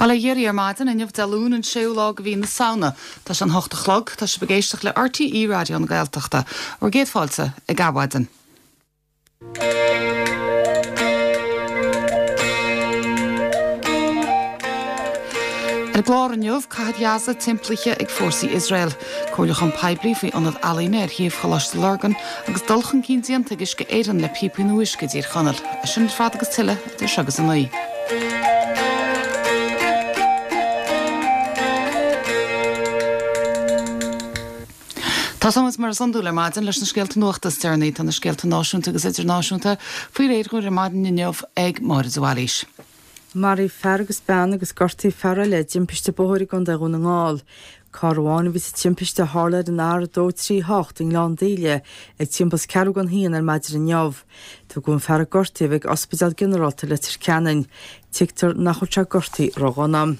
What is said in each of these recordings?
Bail ó Dhia oraibh ar maidin, inniu Dé Luain an séú lá de mhí na Samhna. Tá sé an hocht a chlog. Tá sibh ag éisteacht le RTÉ Raidió na Gaeltachta. Bhur gcéad fáilte ag Adhmhaidin. Ar an gclár inniu, Cathair Ghaza timpeallaithe ag fórsaí Iosrael, comhairliúchán poiblí faoi ionad ealaíne ar shuíomh Choláiste Lurgan agus dul chun cinn déanta ag Uisce Éireann le píopaí nua uisce i dTír Chonaill. É sin ar fad agus tuilleadh idir seo agus a 9. Tosóimid mar is iondúil ar maidin leis na scéalta nuachta is deireanaí. Tá na scéalta náisiúnta agus idirnáisiúnta faoi réir dhúinn ar maidin inniu ag Máire de Bhailís. Maraíodh fear agus bean agus gortaíodh fear eile i dtimpiste bóthair i gContae Dhún na nGall. Carr amháin a bhí sa timpiste a tharla ar an R238 i nGleann Díle ag timpeall is ceathrú don haon ar maidin inniu. Tugadh an fear a gortaíodh ag Ospidéal Ginearálta Leitir Ceanainn. Tuigtear nach bhfuil sé gortaithe ródhona.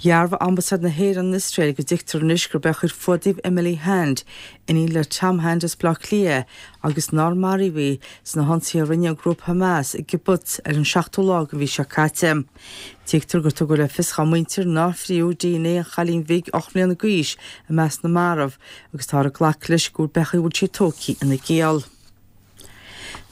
Dhearbhaigh Ambasáid na hÉireann in Iosrael go dtuigtear anois gurb é a chuir fuath díobh Emily Hand, iníon le Tom Hand as Baile Átha Cliath, agus nár maraíodh í sna hionsaithe a rinne an grúpa Hamas i gkibbutz ar an seachtú lá den mhí seo caite. Tuigtear gur tugadh le fios dá muintir nár fríothadh dna an chailín bhig 8 mbliana d'aois i measc na marbh agus táthar ag glacadh leis go bhfuil pé chaoi a bhfuil sí tógtha ina giall.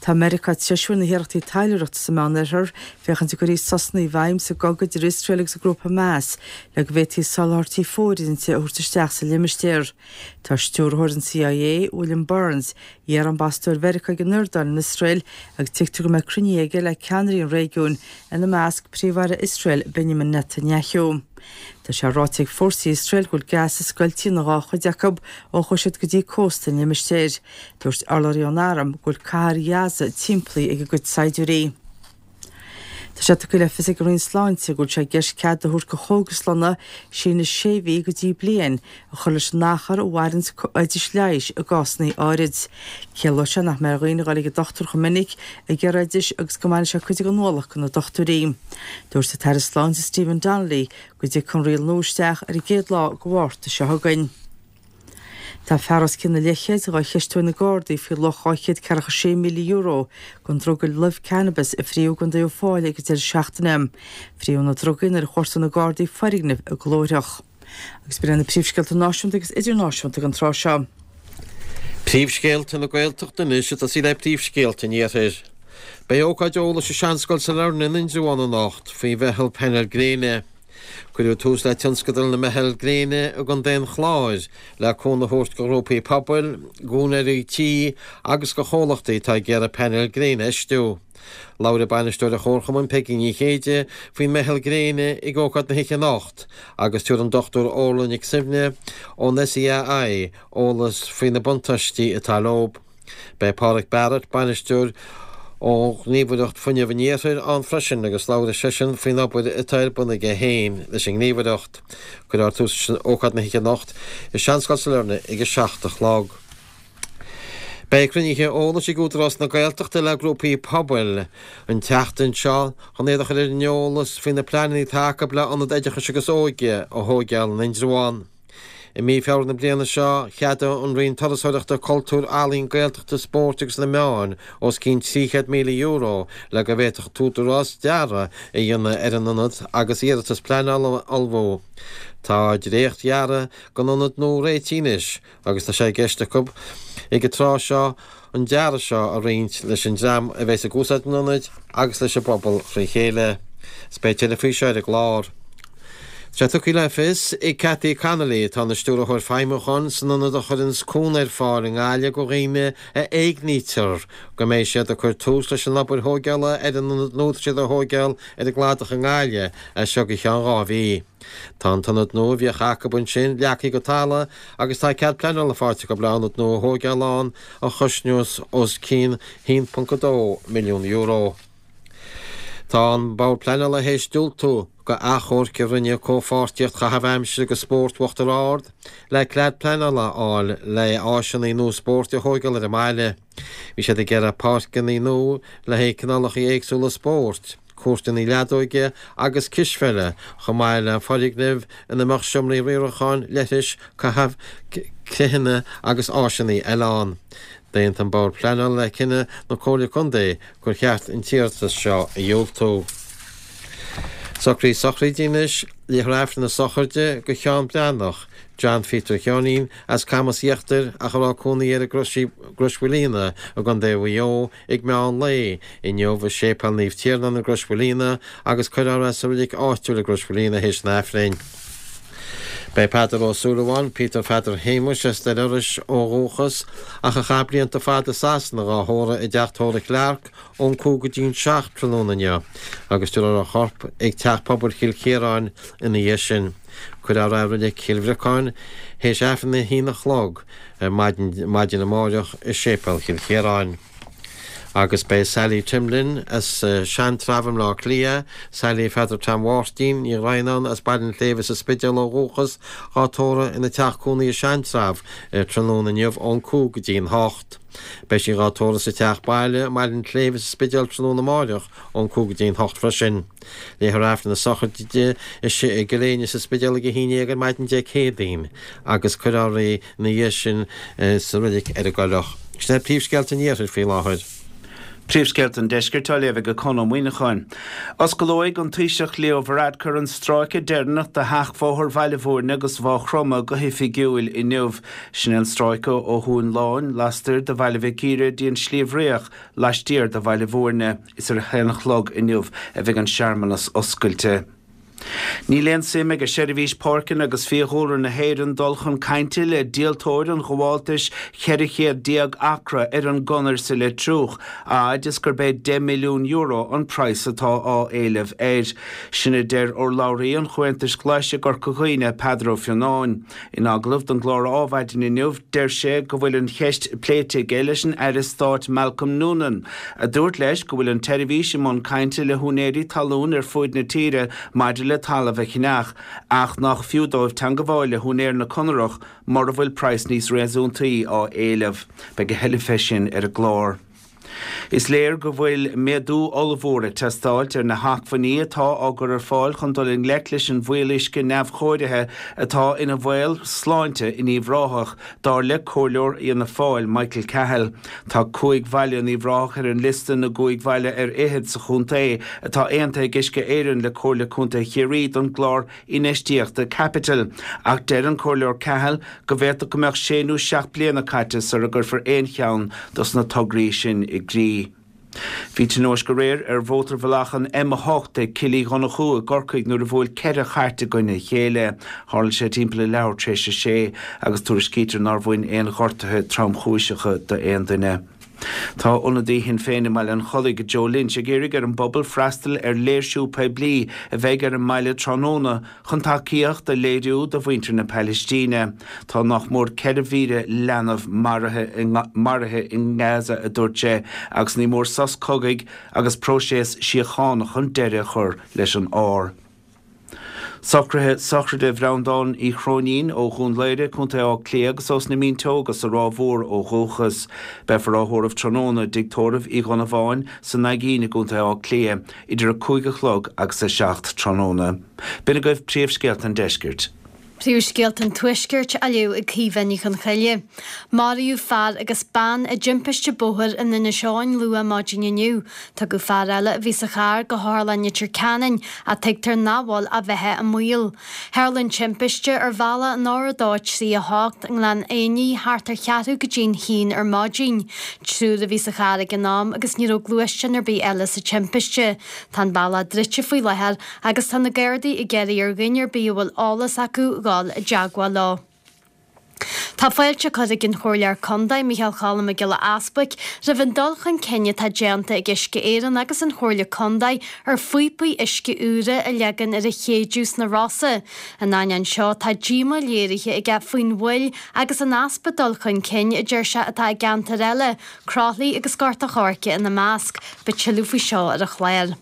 Tá Meiriceá ag treisiú ar na hiarrachtaí taidhleoireachta sa Meánoirthear féachaint an gcuirfí sosanna i bhfeidhm sa gcogadh idir Iosrael agus an grúpa Hamas le go bhféadfaí soláthairtí fóirithinte a thabhairt isteach sa limistéar. Tá stiúrthóir an CIA, William Burns, iar-ambasadóir Mheiriceá ag an Iordáin in Iosrael agus tuigtear go mbeidh cruinnithe aige le ceannairí an réigiúin, ina measc Príomh-Aire Iosrael Benjamin Netanyahu. Tá sé ráite ag fórsaí Iosrael go bhfuil Gaza scoilte ina dhá chuid acu ó chuaigh siad go dtí cósta an limistéir. Dúirt urlabhraí ón arm go bhfuil cathair Ghaza timpeallaithe ag a gcuid saighdiúirí. Tá sé tugtha le fios ag an Roinn Sláinte go bhfuil sé i gceist cead a thabhairt do chógaslanna síneadh sé mhí go dtí bliain a chur leis an achar a mhaireanns oidis leighis i gcásanna áirid. Ciallóidh sé nach mbeidh ar dhaoine a dhul ag an dochtúir chomh minic ag iarraidh oidis agus go mbainfidh sé cuid den ualach de na dochtúirí. Dúirt an tAire Sláinte Stephen Donnelly go dtiocfaidh an riail nua isteach ar an gcéad lá de Mhárta seo chugainn. Tá fear os cionn an leathchéid dhá cheistiú ag na Gardaí faoi luach €246,000 den druga luibh cannabis a fríothadh i gContae Uíbh Fhailí ag an deireadh seachtaine. Fríothadh na drugaí nuair a chuartaigh na Gardaí foirgneamh i gClóirtheach. Agus b'in iad na príomhscéalta náisiúnta agus idirnáisiúnta don tráth seo. Príomhscéalta na Gaeltachta anois ag tosaí le príomhscéalta an Iarthair. Beidh ócáid eolais i Seanscoil Sailearna in Indreabhán anocht faoi mheitheal painéal gréine. Cuireadh tús le tionscadal na Meitheal Gréine i gContae an Chláir le cúnamh a thabhairt do ghrúpaí pobail, d'úinéirí tí agus do chomhlachtaí atá ag iarraidh painéil gréine a fheistiú. Labharfaidh bainisteoir an Chomharchumainn, Peigí Ní Chéide, faoin Meitheal Gréine ag ócáid na hoíche anocht agus tabharfaidh an Dr Orla Nic Suibhne ón SEAI eolas faoi na buntáistí atá leo. Beidh Páraic Barrett, bainisteoir ó Ghníomhaireacht Fuinnimh an Iarthair, ann freisin agus labharfaidh seisean faoin obair atá ar bun aige féin leis an nGníomhaireacht. Cuirfear tús leis ócáid na hoíche anocht i Seanscoil Sailearna ag a 7 a chlog. Beidh cruinnithe eolais ag Údarás na Gaeltachta le grúpaí pobail an tseachtain seo chun iad a chur ar an eolas faoi na pleananna atá acu le Ionad Oideachais agus Óige a thóigeáil in Indreabhán. I mí Feabhra na bliana seo, cheadaigh an Roinn Turasóireachta, Cultúir, Ealaíon, Gaeltachta, Spóirt agus na Meáin os cionn €300,000 le go bhféadfadh an tÚdarás dearadh a dhéanamh ar an ionad agus iarratas pleanála a ullmhú. Tá dréacht-dhearadh don ionad nua réitithe anois agus tá sé i gceist acu ag an tráth seo an dearadh seo a roinnt leis an dream a bheas ag úsáid an ionaid agus leis an bpobal fré chéile. Is beidh tuilleadh faoi seo ar an gclár. Tá sé tugtha le fios ag Cathy Connolly, atá ina Stiúrthóir Feidhmiúcháin san ionad a chuireanns cúnamh ar fáil i nGaillimh do dhaoine a éignítear, go mbeidh siad ag cur tús leis an obair thóigeála ar an ionad nua atá siad a thóigeáil ar an gCladach i nGaillimh as seo go ceann 2 mhí. Tá an t-ionad nua a bhíodh acu ansin leagtha go talamh agus tá cead pleanála faighte acu le ionad nua a thóigeáil ann a chosnós os cionn €1.2 milliún. Tá an Bord Pleanála théis diúltú go achomharc a rinne Comhpháirtíocht Chaitheamh Aimsire agus Spóirt Uachtar Ard le cead pleanála a fháil le áiseanna nua spóirt a thóigeáil ar an mbaile. Bhí siad ag iarraidh páirceanna nua le haghaidh cineálacha éagsúla spóirt. cúirteanna leadóige agus cispheile, chomh maith le foirgnimh ina mbeadh seomraí riaracháin, leithris, caitheamh creitheanna agus áiseanna eile ann. D'aontaigh an Bord Pleanála le cinneadh na Comhairle Contae gur cheart an t-iarratas seo a dhiúltú. Socruithe sochraide anois, Léifear Aifreann na sochraide do Sheán Breathnach, John Pheter Sheáinín, as Camas Íochtair ach a raibh cónaí air i gCrois Mhaoilíona i gContae Mhaigh Eo ag meán lae inniu i Séipéal Naomh Tiarnán i gCrois Mhaoilíona agus cuirfear é sa reilig áitiúil i gCrois Mhaoilíona théis an Aifrinn. Beidh Peadar Ó Súilleabháin, Peter Pheadair Shéamuis, as Doire Iorrais ó dhúchas ach a chaith blianta fada i Sasana dhá thórramh i dteach tórraimh Clarke ón 5 go dtí'n 7 tráthnóna inniu agus tabharfar a chorp ag Teach Pobail Chill Chiaráin ina dhiaidh sin. Cuirfear é i Reilig Chill Bhriocáin théis Aifreann a haon a chlog ar maidin amáireach i Séipéal Chill Chiaráin. Agus beidh Sally Timlin as Seantrabh i mBleá Cliath, Sally Pheadair Tom Mháirtín Ní Dhroighneáin as Baile an tSléibhe sa Spidéal ó dhúchas, dhá tórramh ina teach cónaí i Seantrabh tráthnóna inniu ón 5 go dtí an 8. Beidh sí dhá tórramh sa teach baile i mBaile an tSléibhe sa Spidéal tráthnóna amáireach ón 5 go dtí an 8 freisin. Léifear Aifreann na sochraide di i gCill Éinne sa Spidéal ag 11 ar maidin Dé Céadaoin agus cuirfear í ina dhiaidh sin sa reilig ar an gCoileach. Sin iad príomhscéalta an Iarthair faoi láthair. Príomhscéalta an Deiscirt á léamh ag Conn Ó Muíneacháin. Osclóidh an Taoiseach Leo Varadkar an stráice deireanach de sheachbhóthar Bhaile Bhúirne agus Mhaigh Chromtha go hoifigiúil inniu. Sin é an stráice ó Thóin Láin lastoir de Bhaile Mhic Íre dtí an Sliabh Riach laistiar de Bhaile Bhúirne. Is ar a haon a chlog inniu a bheidh an searmanas oscailte. Níl aon suim ag Seirbhís Páirceanna agus Fiadhúlra na hÉireann dul chun cainte le díoltóir an ghabháltais 14 chéad acra ar an gConair sa Leitriúch, a fhad is gurb é €10 milliún an praghas atá á éileamh air. Sin a deir urlabhraí an Chomhaontais Ghlais i gCorca Dhuibhne, Peadar Ó Fionnáin. In agallamh don gclár Ádhmhaidin inniu, deir sé go bhfuil an cheist pléite aige leis an Aire Stáit Malcolm Noonan, a dúirt leis go bhfuil an tseirbhís i mbun cainte le húinéirí talún ar fuaid na tíre maidir le talamh a cheannach, ach nach fiú dóibh teangabháil le húinéir na Conarach mura bhfuil praghas níos réasúntaí á éileamh. Beidh a thuilleadh fé sin ar an gclár. Is léir go bhfuil méadú ollmhór ag teastáilt ar na hacmhainní atá á gcur ar fáil chun dul i ngleic leis an bhfuíolluisce neamhchóirithe atá ina bhaol sláinte in Uíbh Ráthach, dar le Comhairleoir Fhianna Fáil, Michael Cahill. Tá cúig bhaile in Uíbh Ráthach ar an liosta na gcúig bhaile ar fhichead sa chontae atá aontaithe ag Uisce Éireann le Comhairle Contae Chiarraí don gclár infheistíochta caipitil, ach deir an Comhairleoir Cahill go bhféadfadh go mbeadh sé nó seacht bliana caite sara gcuirfear aon cheann dos na tograí sin i gcrích. Bhí tionóisc aréir ar mhótarbhealach an M8 ag Cill Uí Dhonnchú i gCorcaigh nuair a bhuail ceithre chairt i gcoinne a chéile. Tharla sé timpeall a leathuair tar éis a sé agus tuairiscítear nár bhain aon ghortuithe tromchúiseacha d'aon duine. Tá ionadaí Shinn Féin i mBaile an Chollaigh, Joe Lynch, ag iarraidh ar an bpobal freastal ar léirsiú poiblí a bheidh ar an mbaile tráthnóna chun tacaíocht a léiriú do mhuintir na Pailistíne. Tá nach mór 4,000 leanbh maraithe i nGaza, a dúirt sé, agus ní mór sos cogaidh agus próiseas síochána chun deireadh a chur leis an ár. Socruithe sochraide Bhreandáin Uí Chróinín ó Dhún Laoghaire, Co. Átha Cliath agus ós na Mínteoga sa Ráth Mhór ó dhúchas. Beifear á thórramh tráthnóna i dTigh Tórraimh Uí Dhonnabháin sa Naigín i gContae Átha Cliath idir 5 a chlog agus 7 tráthnóna. B'in agaibh príomhscéalta an deiscirt. Príomhscéalta an Tuaiscirt á léamh ag Caoimhe Ní Chonchoille. Maraíodh fear agus bean i dtimpiste bóthair in Inis Eoghain luath maidin inniu. Tugadh fear eile a bhí sa charr go hOtharlann Leitir Ceanainn ach tuigtear nach bhfuil a bheatha i mbaol. Tharla an timpiste ar bhealach an R238 i nGleann Fhinne thart ar cheathrú go dtí'n haon ar maidin. Triúr a bhí sa charr ag an am agus ní raibh gluaisteán ar bith eile sa timpiste. Tá an bealach druidte faoi láthair Agus tá na Gardaí ag iarraidh ar dhuine ar bith a bhfuil eolas acu dhul i dteagmháil leo. Tá fáilte curtha ag an Chomhairleoir Contae, Micheál Cholm Mac Giolla Easbuic, roimh an dul chun cinn atá déanta ag Uisce Éireann agus an Chomhairle Contae ar phíopaí uisce úra a leagan ar an Chéideadh sna Rosa. In ainneoin seo, tá díomá léirithe aige faoin mhoill agus an easpa dul chun cinn, a deir sé, atá i gceantair eile, Croithlí agus Gort a' Choirce ina measc. Beidh tuilleadh faoi seo ar an chlár.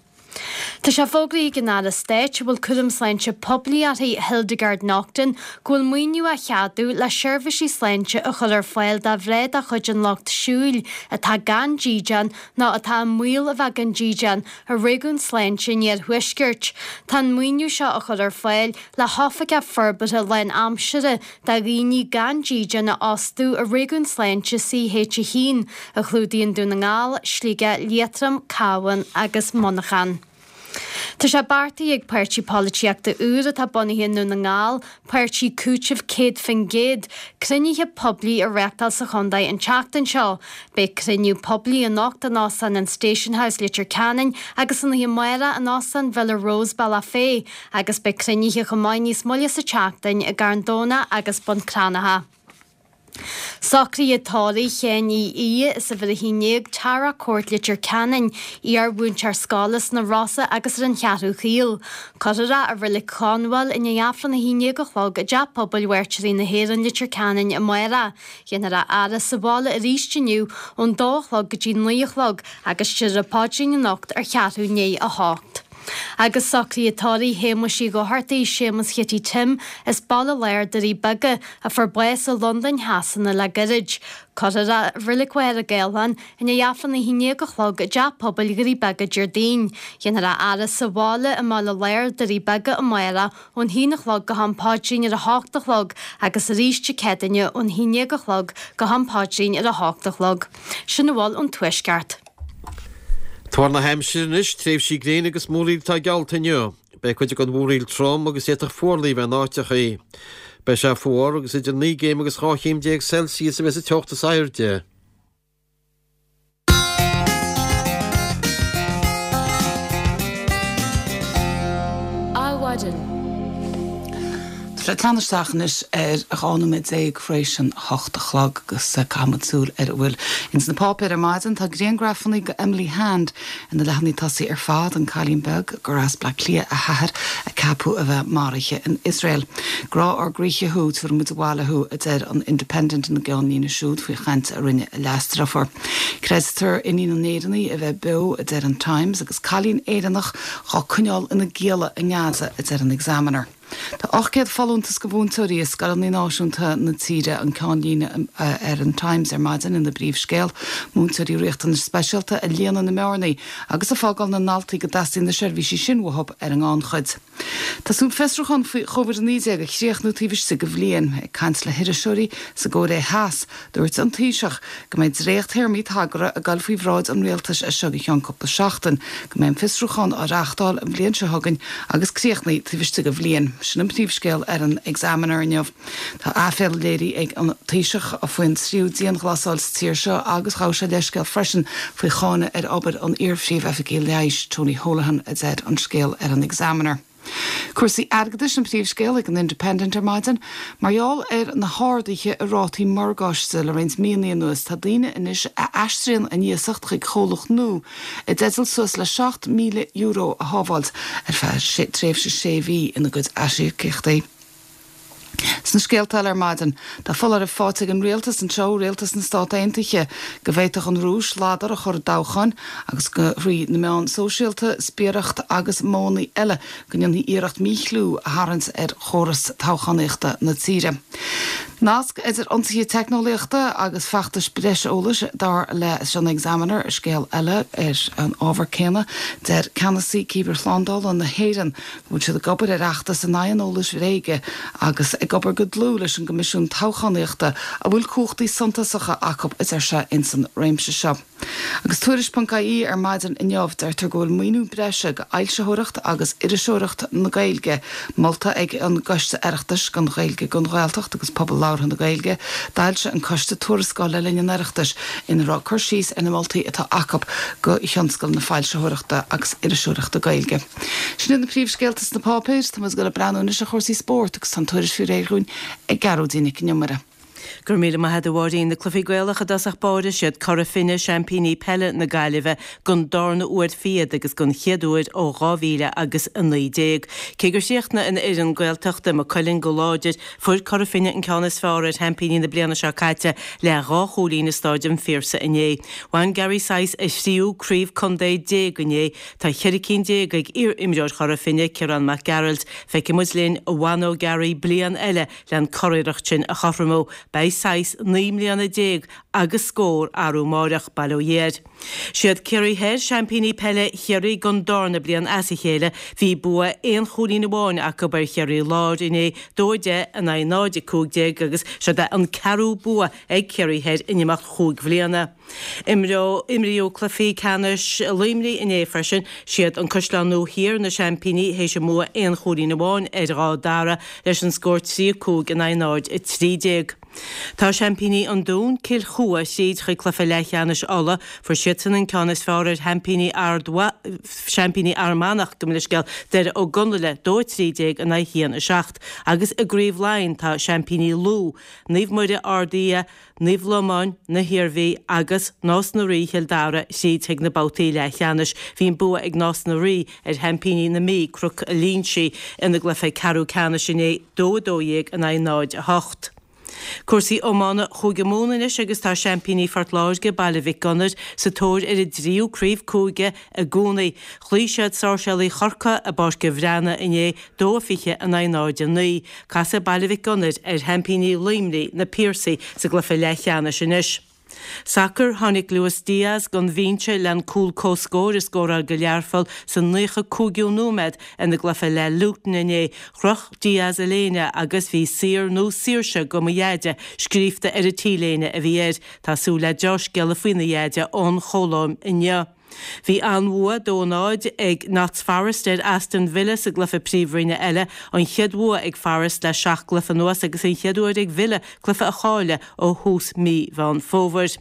Tá sé fógraithe ag an Aire Stáit a bhfuil cúram sláinte poiblí uirthi, Hildegarde Naughton, go bhfuil maoiniú á cheadú le seirbhísí sláinte a chur ar fáil do mhná de chuid an lucht siúil atá gan dídean nó atá i mbaol a bheith gan dídean i réigiún sláinte an Iarthuaiscirt. Tá an maoiniú seo á chur ar fáil le hoifigeach forbartha lánaimseartha do dhaoine gan dídean a fhostú i réigiún sláinte CH1, a chlúdaíonn Dún na nGall, Sligeach, Liatroim, Cabhán agus Muineachán. Tá sé beartaithe ag páirtí polaitíochta úr atá bunaithe i nDún na nGall, Páirtí Cúitimh 100%, cruinnithe poiblí a reáchtáil sa chontae an tseachtain seo. Beidh cruinniú poiblí anocht in Óstán an Station House, Leitir Ceanainn agus san oíche amárach in Óstán Villa Rose, Bealach Féich agus beidh cruinnithe chomh maith níos moille sa tseachtain i gCarn Domhnach agus Bun Cranncha. Socruithe tórraimh Sheáin Uí Aodha as uimhir 11, Tara Court, Leitir Ceanainn, iar-mhúinteoir scoile sna Rosa agus ar an Cheathrú Chaol. Cuirfear é i Reilig Chonbháil i ndiaidh Aifreann 11 a chlog i dTeach Pobail Mhairtírí na hÉireann, Leitir Ceanainn amárach. Déanfar a fhaire sa bhaile arís inniu ón dó a chlog go dtí 9 a chlog agus déarfar an paidrín anocht ar cheathrú i ndiaidh a hocht. Agus socruithe tórraimh Shéamuis Uí Dhochartaigh, Séamus Chitty Tim, as Baile Láir, Doirí Beaga, a fuair bás i Londain Shasana le gairid. Cuirfear é i Reilig Mhachaire Gathlán i ndiaidh Aifreann 11 a chlog i dTeach Pobail Dhoirí Beaga Déardaoin. Déanfar a fhaire sa bhaile i mBaile Láir, Doirí Beaga amárach ón haon a chlog go ham paidrín ar a hocht a chlog agus arís Dé Céadaoine ón haon déag a chlog go ham paidrín ar a hocht a chlog. Sin a bhfuil ón Tuaisceart. Tuar na haimsire anois, tréimhsí gréine agus múraíl atá geallta inniu. Beidh cuid den mhúraíl trom agus d'fhéadfadh fuarlaigh a bheith in áiteachaí. Beidh sé fuar agus idir 9 gcéim agus 12 chéim Celsius a bheas an teocht is airde. Adhmhaidin. Tá sé ag teannadh isteach anois ar 12 nóiméad tar éis an 8 a chlog agus caithfimid súil ar a bhfuil ins na páipéir ar maidin. Tá griangrafannaí de Emily Hand ar na leathanaigh tosaigh ar fad, an cailín beag gur as Bleá Cliath a hathair a ceapadh a bheith maraithe in Iosrael. Grá ár gcroíthe thú, tabharfaidh muid abhaile thú, a deir an Independent ina gceannlíne siúd faoi chaint a rinne a leasdeirfiúr. Creidtear iníon an Éireannaigh a bheith beo, a deir an Times, agus cailín Éireannach dhá coinneáil ina gialla i nGaza, a deir an Examiner. Tá 800 folúntas do mhúinteoirí i scoileanna náisiúnta na tíre, an ceannlíne ar an Times ar maidin ina bpríomhscéal. Múinteoirí riachtanais speisialta a líonann na mbearnaí agus ag fágáil na ndaltaí go dteastaíonn na seirbhísí sin uathu ar an ngannchuid. Tá súil fiosrúchán faoi Covid-19 a chríochnú taobh istigh de bhliain. Ag caint le hiriseoirí sa gCóiré Theas, Dúirt an Taoiseach go mbeidh dréacht-théarmaí tagartha ag dul faoi bhráid an Rialtais as seo go ceann cúpla seachtain, go mbeidh an fiosrúchán á reáchtáil an bhliain seo chugainn agus críochnaithe taobh istigh de bhliain. Sin an príomhscéal ar an Examiner inniu. Tá aiféala léirithe ag an Taoiseach faoin tríú dianghlasáil sa tír seo agus ghabh sé leithscéal freisin faoi cháineadh ar obair an iar-phríomh-oifigigh leighis, Tony Holohan, a deir an scéal ar an Examiner. Cúrsaí airgeadais an príomhscéal ag an Independent ar maidin. Mar gheall ar na harduithe i rátaí morgáiste le roinnt míonna anuas, tá daoine anois a aistríonn a n-iasacht chuig comhlacht nua i dteideal suas le €7,000 a shábháilt ar feadh tréimhse sé mhí ina gcuid aisíocaíochtaí. Sna scéalta eile ar maidin, tá foláireamh faighte ag an rialtas anseo, rialtas na Stát Aontaithe, go bhféadfadh an Rúis ladar a chur i dtoghcháin agus go thrí na meáin sóisialta, spiaireacht agus modhanna eile go ndéanfaí iarracht míchliú a tharraingt ar chóras toghchánaíochta na tíre. Nasc idir ionsaithe teicneolaíochta agus feachtais breis eolais, dar leis an Examiner. Scéal eile ar an ábhar céanna, deir ceannasaí cibearshlándála na hÉireann go bhfuil siad ag obair ar fheachtas in aghaidh an eolais bhréige agus ag obair go dlúth leis an gCoimisiún Toghchánaíochta a bhfuil cumhachtaí suntasacha acu, a deir sé, ins an réimse seo. Agus Tuairisc.ie ar maidin inniu, deirtear go bhfuil maoiniú breise go fhoilsitheoireacht agus iriseoireacht na Gaeilge molta ag an gCoiste Oireachtais don Ghaeilge, don Ghaeltacht agus Pobal Labhartha na Gaeilge. D'fhoilsigh an coiste tuarascáil le linn an Oireachtais ina raibh cur síos ar na moltaí atá acu go thionscal na foilsitheoireachta agus iriseoireachta Gaeilge. Sin iad na príomhscéalta sna páipéir. Tá muid ag dul ag breathnú anois ar chúrsaí spóirt agus tá an tuairisc faoi réir dhúinn ag Gearóidín Nic an Iomaire. Go raibh míle maith agat a Mháirín. Na cluichí Gaelacha i dtosach báire, siad Cora Finne seaimpíní peile na Gaillimhe don darna huair fichead agus don chéad uair ó 2000 agus 19. Cé gur chríochnaigh an fhoireann Gaeltachta, Maigh Cuilinn, go láidir, fuair Cora Finne an ceann is fearr ar sheaimpíní na bliana seo caite le dhá chúilín i Stáid an Phiarsaigh inné. Bhain Gary Sice a thríú craobh contae déag inné. Tá 14 cinn ag iar-imreoir Chora Finne, Ciarán Mac Gearailt. Feicfidh muid linn an bhfanóidh Gary bliain eile le an curiarracht sin a chothromú. Beidh saghas 19 mbliana agus scór arú amáireach, bail ó Dhia air. Siad Ciarraí Thoir seaimpíní peile Chiarraí don darna bliain as a chéile. Bhí bua aon chúilín amháin acu ar Chiarraí Láir inné, 2-10 in aghaidh 0-15 agus seod é an ceathrú bua ag Ciarraí Thoir in imeacht chúig bhliana. Imríodh cluichí ceannais Luimnigh inné freisin. Siad an Caisleán Nua Thiar na seaimpíní théis a mbua aon chúilín amháin ar Dhá Dara leis an scór 3-5 in aghaidh 0-13. Tá seaimpíní an Dúin, Cill Chua, thríd chuig cluiche leathcheannais Uladh. Fuair siadsan an ceann is fearr ar sheaimpíní Ard seaimpíní Fhear Manach, gabh mo leithscéal, Doire Ó gConaile, 2-13 in aghaidh 1-7. Agus i gCraobh Laighean tá seaimpíní Lú, Naomh Muire Ard Fhia, Naomh Lomáin, na hIarmhí, agus Nás na Rí, Chill Dara, thríd chuig na babhtaí leathcheannais. Bhí an bua ag Nás na Rí ar sheaimpíní na Mí, Cnoc an Línsigh, ina gcluiche ceathrú ceannais inné, 2-12 in aghaidh 0-8. Cúrsaí iomána Chúige Mumhan anois agus tá seaimpíní Phort Láirge, Baile Mhic Gonair, sa tóir ar a dtríú craobh cúige i gcónaí. Chloígh siad Sáirséalaigh Chorcaí i bPáirc an Bhreathnaigh inné, 2-20 in aghaidh 0-9. Casfaidh Baile Mhic Gonair ar sheaimpíní Luimnigh, Na Piarsaigh, sa gcluiche leathcheannais anois. Sacar, Tháinig Luis Diaz gon bhinse len cúl comhscóir a scóráil go Learpholl sa 95ú nóiméad ina gcluiche le Luton inné. Chroch Diaz a léine agus bhí 'Saor nó Saoirse go mo Dheaide' scríofa ar an t-léine a bhí air. Tá súil le deá-scéala faoina dheaide ón Cholóim inniu. Bhí an-bhua 2-0 ag Notts Forest ar Aston Villa sa gcluiche Príomhroinne eile, an chéad bhua ag Forest le seacht gcluiche anuas agus an chéad uair ag Villa cluiche a chailleadh ó thús mí Mheán Fómhair.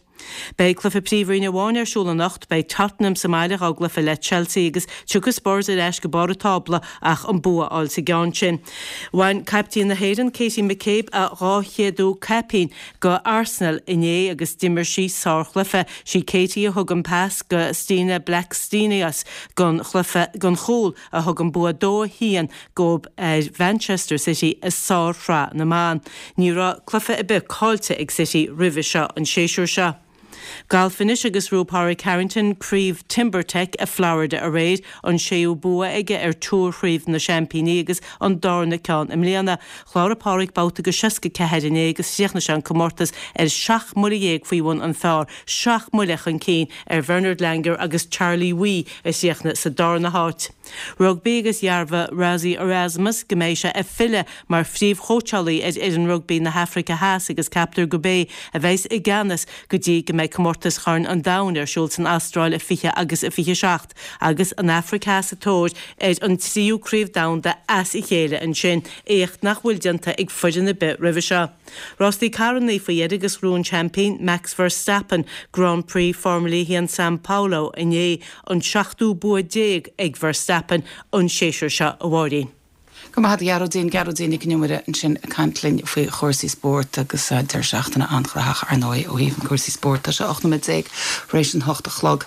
Beidh cluiche Príomhroinne amháin ar siúl anocht, beidh Tottenham sa mbaile dhá gcluiche le Chelsea agus tiocfaidh Spurs ar ais go barr an tábla ach an bua a fháil sa gceann sin. Bhain caiptín na hÉireann Katie McCabe a 200ú caipín go Arsenal inné agus d'imir sí sárchluiche. Sí Katie a thug an pas go Stina Blackstenius gon chluiche gon chúl a thug an bua 2-1 dóibh ar Mhanchester City i sár-shraith na mban. Ní raibh cluiche ar bith caillte ag City roimhe seo an séasúr seo. Galf anois agus ghnóthaigh Pádraig Harrington craobh TimberTech i Florida aréir, an séú bua aige ar Tour Chraobh na Seaimpíní agus an darna ceann i mbliana. Chláraigh Pádraig babhta de 64 inné agus chríochnaigh sé an comórtas ar sheacht mbuille dhéag faoi bhun an phar, seacht mbuille chun cinn ar Bernard Langer agus Charlie Wi a chríochnaigh sa darna háit. Rugbaí agus dhearbhaigh Rassie Erasmus go mbeidh sé ag filleadh mar phríomhchóitseálaí ar fhoireann rugbaí na hAfraice Theas agus ceaptar gurb é a bheas i gceannas go dtí go mbeidh comórtas Chorn an Domhain ar siúl san Astráil i 20 agus i 27 agus an Afraic Theas sa tóir ar an tríú craobh domhanda as a chéile ansin, éacht nach bhfuil déanta ag foireann ar bith roimhe seo. Rástaí carrannaí faoi dheireadh agus ghnóthaigh an seaimpín Max Verstappen Grand Prix Formula 1 San Paulo inné, an seachtú bua ag Verstappen an séasúr seo, a Mháirín. Go raibh maith agat a Ghearóidín, Gearóidín Nic Con Iomaire ansin ag caint linn faoi chúrsaí spóirt agus deireadh seachtaine an-ghnóthach ar ndóigh ó thaobh na cúrsaí spóirt. Tá sé 18 nóiméad tar éis an hocht a chlog.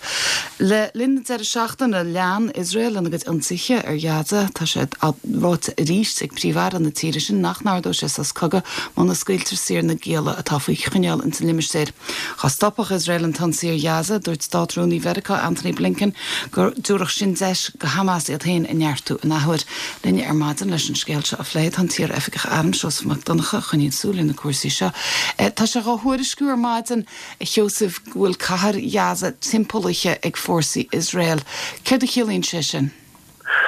Le linn na deireadh seachtaine lean Iosrael lena gcuid ionsaithe ar Ghaza. Tá sé ráite arís ag Príomh-Aire na tíre sin nach n-ardóidh sé sos cogaidh muna scaoiltear saor na gialla atá faoi choinneáil ins an limistéar. Dá stopfadh Iosrael an t-ionsaí ar Ghaza, dúirt Stát-Rúnaí Mheiriceá Antony Blinken go dtabharfadh sin deis go Hamas iad féin a neartú in athuair. Linn ar maidin leis an scéal seo a phlé tá an t-iar-oifigeach airm Seosamh Mac Donncha a choinníonn súil ar na cúrsaí seo. Tá sé dhá thuairisciú ar maidin, a Sheosaimh, go bhfuil cathair Ghaza timpeallaithe ag fórsaí Iosrael. Céard a chiallaíonn sé sin?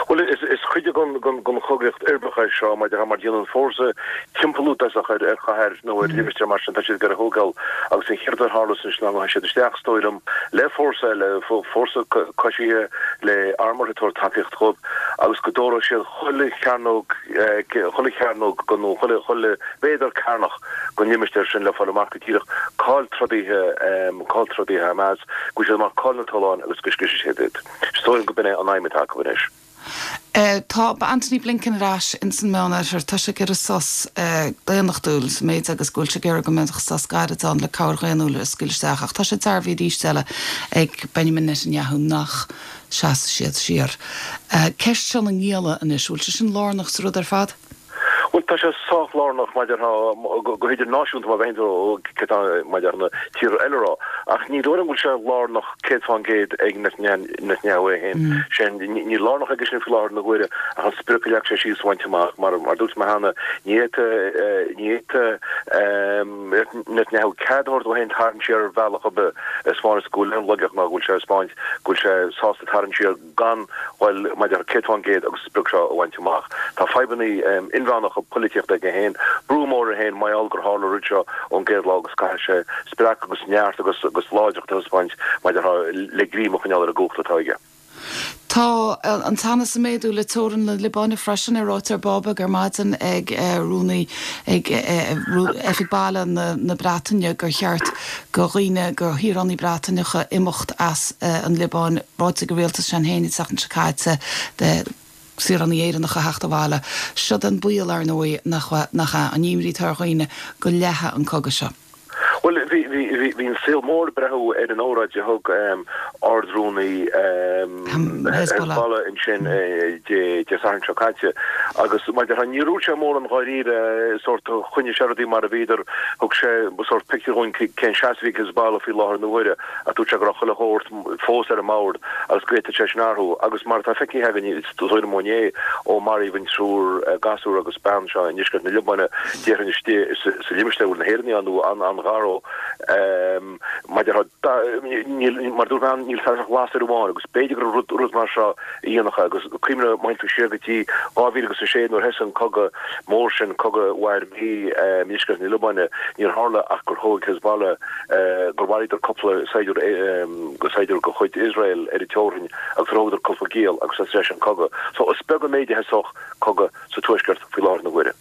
Bhuel, is cuid den chogaíocht uirbeach é seo, mar déanann fórsa timpeallú i dtosach ar chathair nó ar limistéar mar sin, tá siad ag iarraidh a thógáil agus an chéad rud a tharlós anois ná go ngabhfaidh siad isteach, is dóigh liom, le fórsa eile, fórsa coisithe le armúr ag tabhairt tacaíocht dhóibh agus go dtógfaidh siad chuile chearnóg, chuile chearnóg nó chuile mhéadar cearnach den limistéar sin le fáil amach go díreach cá'il trodaithe, cá'il trodaithe Hamas, go bhfaighidh siad amach cá'il na tolláin agus go scriosfaidh siad iad. Is dóigh liom go b'in é an aidhm atá acu anois. Tá Antony Blinken ar ais ins an Meánoirthear. Tá sé ag iarraidh sos daonnachtúil sa méid agus go bhfuil sé ag iarraidh go mbeadh sos gairid ann le cabhair dhaonnúil a scaoileadh isteach. Ach tá sé dearbhaithe arís eile ag Benjamin Netanyahu nach seasfaidh siad siar. Ceist seo na ngialla anois, bhfuil sé sin lárnach sa rud ar fad? Bhuel, tá sé sách lárnach maidir go hidirnáisiúnta má bheidh cé tá maidir na tíortha eile a rá. Ach ní dóigh liom go bhfuil sé lárnach 100% ag Netanyahu é féin. Sin, níl lárnach aige sin faoi láthair na huaire ach an sprioc a leag sé síos a bhaint amach. Mar a dúirt mé cheana, ní fhéadfadh, ní fhéadfadh Netanyahu cead a thabhairt dó féin tarraingt siar ar bhealach ar bith a spáineas go bhfuil aon laigeacht ná go bhfuil sé ag spáint go bhfuil sé sásta tarraingt siar gan dhul maidir 100% agus an sprioc seo a bhaint amach. Tá fadhbanna inmheánacha polaitíochta aige féin, brú mór air féin mar gheall gur tharla an rud seo ón gcéad lá agus caithfidh sé spreacadh agus neart agus agus láidreacht a thaispeáint maidir le greim a choinneáil ar an gcumhacht atá aige. Tá an teannas ag méadú le teorainn na Liobáine freisin, é ráite ar bábeg ar maidin ag rúnaí ag Oifig Baile na Breataine gur cheart go dhaoine, go shaoránaigh Breataineacha imeacht as an Liobáin. Ráite ag an rialtas sin féin an tseachtain seo caite do saoránaigh Éireannacha theacht abhaile. Siod an baol, ar ndóigh, nach ea, an imní atá ar dhaoine go leathfaidh an cogadh seo. Bhuel, bhí, bhí, bhí, bhí an saol mór ag breathú ar an óráid a thug Ard-Rúnaí Hezbollah ansin Dé Sathairn seo caite agus mar a déarfá, níor dhúirt sé mórán dháiríre, sórt, choinnigh sé rudaí mar a bhíodar, thug sé sórt pictiúr dhúinn cén seasamh a bhí ag Hezbollah faoi láthair na huaire ach dúirt sé go raibh chuile shórt fós ar an mbord agus go bhféadfadh sé sin athrú. Agus mar atá feicthe againn, is dóigh liom ó inné, ó maraíodh an triúr gasúr agus bean seo i ndeisceart na Liobáine, déarfainn istigh sa limistéar a bhfuil na hÉireannaigh ann, nó an-ghar dó, mar a déarfá, níl, mar a dúirt mé, níl tairseach lasair amháin agus b'fhéidir gur rud, rud mar seo a dhéanfadh é. Agus cuimhnigh, má théann tú siar go dtí 2006 nuair a thosaigh an cogadh mór sin, cogadh a mhair mí i ndeisceart na Liobáine, níor tharla ach gur thóg Hezbollah, gur mharaíodar cúpla saighdiúir, saighdiúir de chuid Iosrael ar an teorainn agus gur thógadar cúpla giall agus thosaigh sé sin cogadh. So is beag an méid a thosódh cogadh sa tuaisceart faoi láthair na huaire.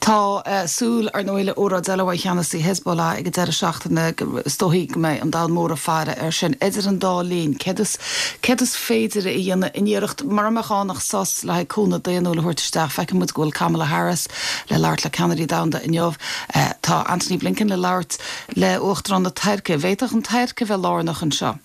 Tá súil, ar ndóigh, le óráid eile uaidh cheannasaí Hezbollah ag an deireadh seachtaine. Is dóichí go mbeidh an domhan mór ag faire air sin. Idir an dá linn, céard is, céard is féidir a dhéanamh in iarracht, mura mbeadh ann ach sos le haghaidh cúnamh daonnúil a thabhairt isteach? Feiceann muid go bhfuil Kamala Harris le labhairt le ceannairí domhanda inniu. Tá Antony Blinken le labhairt le Uachtarán na Tuirce. Bhféadfadh an Tuirc a bheith lárnach anseo.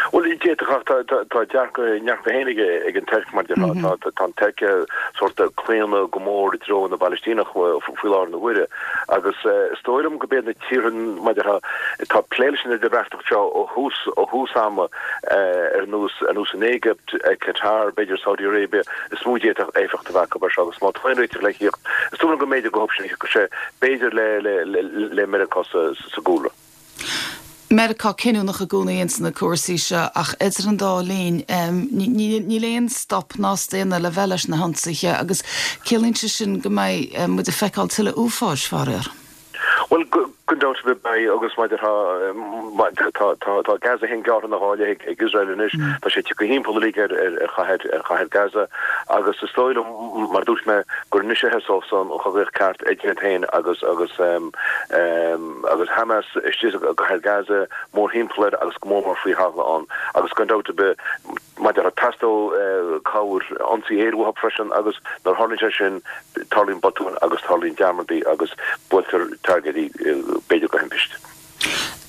Bhuel, d'fhéadfadh ach tá dearcadh a ndearcadh féin ag an Tuirc mar déarfá. Tá an Tuirc sórt ag claonadh go mór i dtreo na bPalaistíneach faoi láthair na huaire agus is dóigh liom go b'iad na tíortha mar déarfá atá ag plé leis an idirbheartaíocht seo ó thús ó thús ama ar nós ar nós an Éigipt, Qatar, b'fhéidir Saudi Arabia is mó a d'fhéadfadh éifeacht a bheith acu air seo agus má tá aon réiteach le thíocht is dóigh liom go mb'fhéidir go thiocfadh sé b'fhéidir le le le Meiriceá sa sa gcúlra. Meiriceá cinniúnach i gcónaí ins na cúrsaí seo ach idir an dá linn níl aon stop ná staonadh le bheith leis na hionsaithe agus ciallaíonn sé sin go mbeidh muid ag feiceáil tuilleadh uafáis, faraor. Bhuel, gan dabht ar bith beidh agus mar a déarfá tá tá Gaza féin gearrtha ina dhá leith ag Iosrael anois, tá sé tagtha thimpeall uilig ar ar chathair ar chathair Gaza agus is dóigh liom mar a dúirt mé gur anois a thosós an chogaíocht ceart idir iad féin agus agus agus Hamas istigh i gcathair Gaza, mórthimpeall air agus go mór mór faoi thalamh ann. Agus gan dabht ar bith, mar a déarfá, teastóidh cabhair, ionsaí aeir uathu freisin agus nuair a tharlaíonn sé sin, tarlaíonn botúin agus tarlaíonn dearmadaí agus buailtear targaidí, b'fhéidir de thimpiste.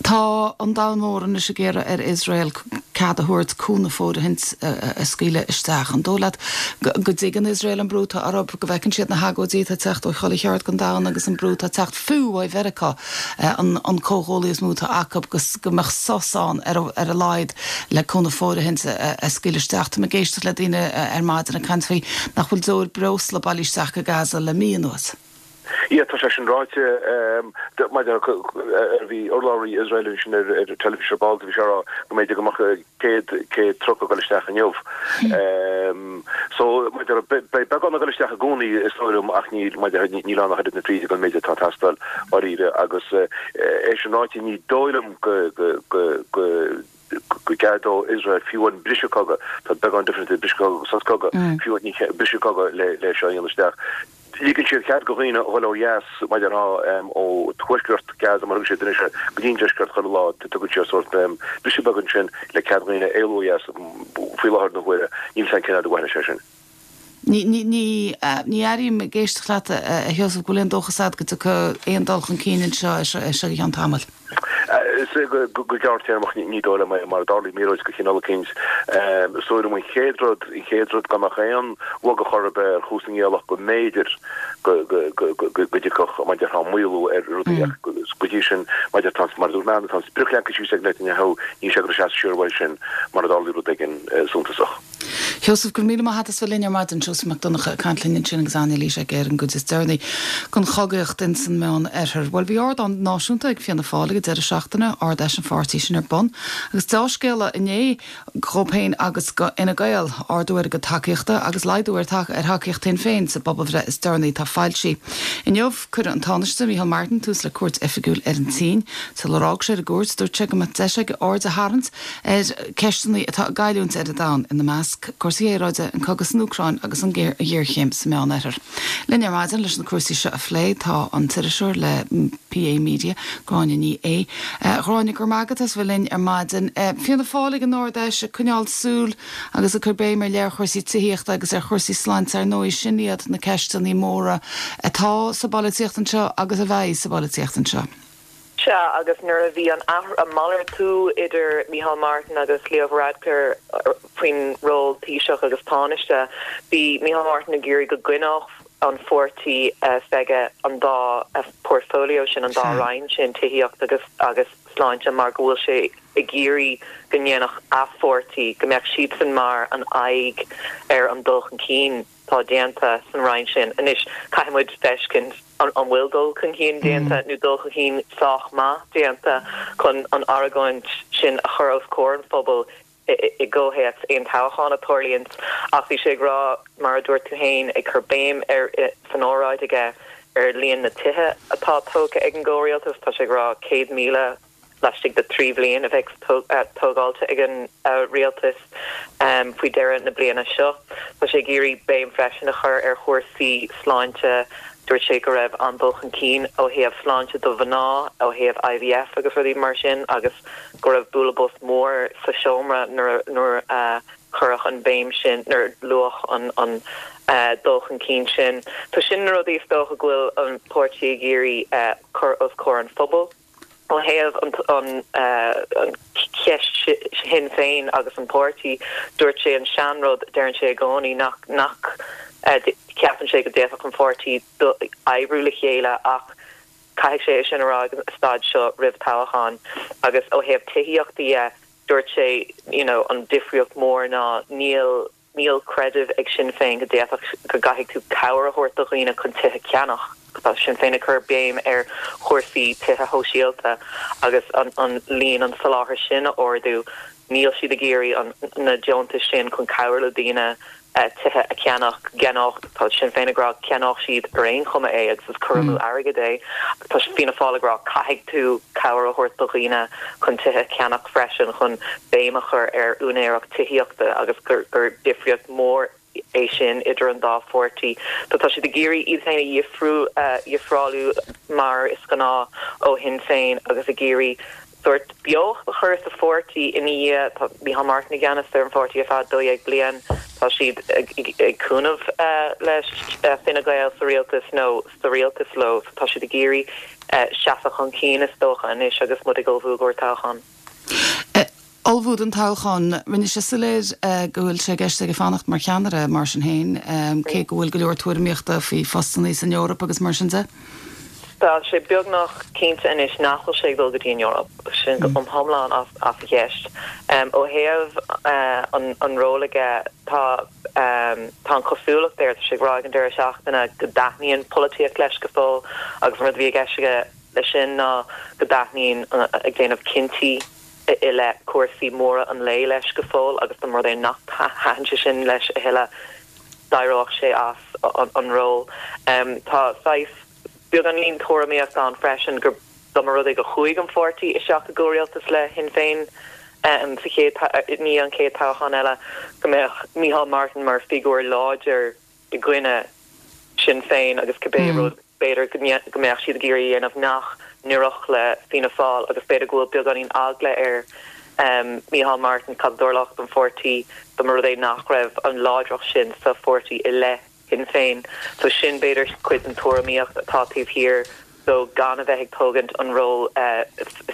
Tá an domhan mór anois ag iarraidh ar Iosrael cead a thabhairt cúnamh fóirithint a scaoileadh isteach. An dóigh leat go dtuigeann Iosrael an brú atá orthu, go bhfeiceann siad na hagóidí atá ag teacht ó chuile cheard den domhan agus an brú atá ag teacht fiú ó Mheiriceá, an comhghuaillí is mó atá acu, go mbeadh sos ann ar a laghad le cúnamh fóirithint a scaoileadh isteach? Tá mé ag éisteacht le daoine ar maidin ag caint faoi nach bhfuil deoir breosla bailithe isteach go Gaza le mí anuas. Yeah, tá sé sin ráite. Maidir le, bhí urlabhraí Iosrael ansin ar an teilifís ar ball, bhí sé ag rá go mb'fhéidir go mbeadh 100, 100 truck ag dul isteach inniu. So, maidir le, beidh beagán ag dul isteach i gcónaí is dóigh liom ach níl, maidir le, níl ann ach oiread na fríde don méid atá ag teastáil dháiríre agus é sin ráite ní dóigh liom go, go, go, go, go gceadódh Iosrael fiú amháin briseadh cogaidh, tá beagán difríocht idir briseadh cogaidh agus sos cogaidh, fiú ní briseadh cogaidh le le seo a dhéanamh isteach. Ligeann siad cead do dhaoine a dhul ó dheas, mar a déarfá, ó thuaisceart Gaza, mar a thugann siad anois air, go dtí an deisceart chuile lá, tugann siad sórt briseadh beag ansin le cead dhaoine éalú ó dheas faoi láthair na huaire, níl 's agam cén fhad a mhairfidh sé sin. Ní, ní, ní, ní airím ag éisteacht leat, a Sheosaimh, go bhfuil aon dóchas agat go dtiocfaidh aon dul chun cinn anseo, as seo go ceann tamaill. Go gearrtéarmach ní dóigh liom é, mara dtarlaíonn míorúilt de chineál eicínt. Is dóigh liom an chéad rud, an chéad rud gan ach aon bhogadh chor ar bith ar chúrsaí na nGaelach go mb'fhéidir go dtiocfadh, mar a déarfá, maolú ar rudaí ach go dtí sin, mar a déarfá, mar a dúirt mé, tá an sprioc leagtha síos ag Netanyahu, níl sé ag dul ag seasamh siar uaidh sin mara dtarlaíonn rud éigin suntasach. Sheosamh, go raibh míle maith agat as bheith linn ar maidin. Seosamh Mac Donncha ag caint linn ansin agus anailís aige ar an gcuid is deireanaí den chogaíocht ins an Meán Oirthear. Bhuel, bhí ardán náisiúnta ag Fianna Fáil ag an deireadh seachtaine, Ard-Fheis an pháirtí sin ar bun, agus deá-scéala inné dhóibh féin agus do Fhine Gael, ardú ar a gcuid tacaíochta agus laghdú ar thacaíocht Shinn Féin sa bpobalbhreith is deireanaí atá foilsithe. Inniu, cuirfidh an Tánaiste, Micheál Martin, tús le cuairt oifigiúil ar an tSín. Sular fhág sé ar an gcuairt, dúirt sé go mbeadh deis aige aird a tharraingt ar cheisteanna atá ag goilliúint ar an domhan, ina measc, cúrsaí aeráide, an cogadh san Úcráin agus an ghéarchéim sa Meán-Oirthear. Linn ar maidin leis na cúrsaí seo a phlé tá an t-iriseoir le PA Media, Gráinne Ní Aodha. A Ghráinne, go raibh maith agat as bheith linn ar maidin. Fianna Fáil ag an Ard-Fheis ag coinneáil súil agus ag cur béim ar leith ar chúrsaí tithíochta agus ar chúrsaí sláinte, ar ndóigh sin iad na ceisteanna móra atá sa bpolaitíocht anseo agus a bheidh sa bpolaitíocht anseo. Sea, agus nuair a bhí an malartú idir Micheál Martin agus Leo Varadkar faoin ról Taoiseach agus Tánaiste, bhí Micheál Martin ag iarraidh go gcoinneodh an pháirtí s'aige an dá portfolio sin, an dá roinn sin, tithíocht agus agus sláinte, mar go bhfuil sé ag iarraidh go ndéanfadh a pháirtí, go mbeadh siadsan mar an aghaidh ar an dul chun cinn. atá déanta san roinn sin. Anois, caithfidh muid feiscint an bhfuil dul chun cinn déanta nó dul chun cinn sách maith déanta chun an argóint sin a chur os comhair an phobail i gcomhthéacs aon toghchán a tarlaíonns. Ach bhí sé ag rá, mar a dúirt tú féin, ag cur béim ar san óráid aige ar líon na tithe atá tógtha ag an gcomhrialtas. Tá sé ag rá 100,000 laistigh de thrí bhliain a bheidh tógáilte ag an rialtas faoi dheireadh na bliana seo. Tá sé ag iarraidh béim freisin a chur ar chúrsaí sláinte. Dúirt sé go raibh an-dul chun cinn ó thaobh sláinte do mhná, ó thaobh IVF agus rudaí mar sin agus go raibh bualadh bos mór sa seomra nuair a cuireadh an bhéim sin, nuair a luadh an dul chun cinn sin. So sin na rudaí is dócha go bhfuil an páirtí ag iarraidh cur os comhair an phobail. Ó thaobh an cheist Shinn Féin agus an páirtí, dúirt sé an seanrud a deireann sé i gcónaí, nach nach cheapann sé go d'fhéadfadh an pháirtí oibriú le chéile ach caithfidh sé é sin a rá ag an staid seo roimh toghchán. Agus ó thaobh tithíochta dhe, dúirt sé you know an difríocht mhór ná níl Níl creideamh ag Sinn Féin go d'fhéadfadh, go gcaithfidh tú cabhair a thabhairt do dhaoine chun tithe a cheannach. Tá Sinn Féin ag cur béim ar chúrsaí tithe shóisialta agus an líon, an soláthar sin a ardú. Níl siad ag iarraidh an, na deontais sin chun cabhrú le daoine tithe a cheannach. Gceannódh, tá Sinn Féin ag rá, ceannódh siad ar aon chuma é agus is cur amú airgid é. Tá Fianna Fáil ag rá caithfidh tú cabhair a thabhairt do dhaoine chun tithe a cheannach freisin chun béim a chur ar úinéireacht tithíochta agus gur difríocht mhór é sin idir an dá pháirtí. So tá siad ag iarraidh iad féin a dhifriú, a dhifreálú mar is gnáth ó Shinn Féin agus ag iarraidh sórt beocht a chur sa pháirtí ina dhiaidh. Tá Micheál Martin i gceannas ar an pháirtí ar feadh 12 bliain. Tá siad ag cúnamh le Fine Gael sa rialtas nó sa rialtas leo. So tá siad ag iarraidh seasamh chun cinn is dócha anois agus muid ag ullmhú i gcomhair toghcháin. Ullmhú don toghchán. Rinne sé soiléir go bhfuil sé i gceist aige fanacht mar cheannaire mar sin féin, cé go bhfuil go leor tuairimíochta faoi phostanna san Eoraip agus mar sin de. Tá sé beagnach cinnte anois nach bhfuil sé ag dul go dtí an Eoraip, sin go hiomlán as an cheist. Ó thaobh an ról aige, tá tá an chosúlacht air, tá sé ag rá ag an deireadh seachtaine go dtaitníonn polaitíocht leis go fóill agus an rud a bhí i gceist aige leis sin ná go dtaitníonn ag déanamh cinntí i leith cúrsaí móra an lae leis go fóill agus dá mba rud é nach thaitin sé sin leis a thuilleadh, d'éireodh sé as an ról. Tá saghas beagáinín tuairimíocht ann freisin gur dá mba rud é go chuaigh an pháirtí isteach i gcomhrialtas le Shinn Féin sa chéad, i ndiaidh an chéad toghchán eile, go mbeadh Micheál Martin mar figiúr láidir i gcoinne Sinn Féin agus cibé rud b'fhéidir go mbeadh siad ag iarraidh a dhéanamh nach n-oirfeadh le Fianna Fáil agus b'fhéidir go bhfuil beagáinín eagla ar Micheál Martin cad a dtarlódh don pháirtí dá mba rud é nach raibh an láidreacht sin sa pháirtí i leith Shinn Féin. So sin b'fhéidir cuid den tuairimíocht atá taobh thiar. dó gan a bheith ag tógaint an ról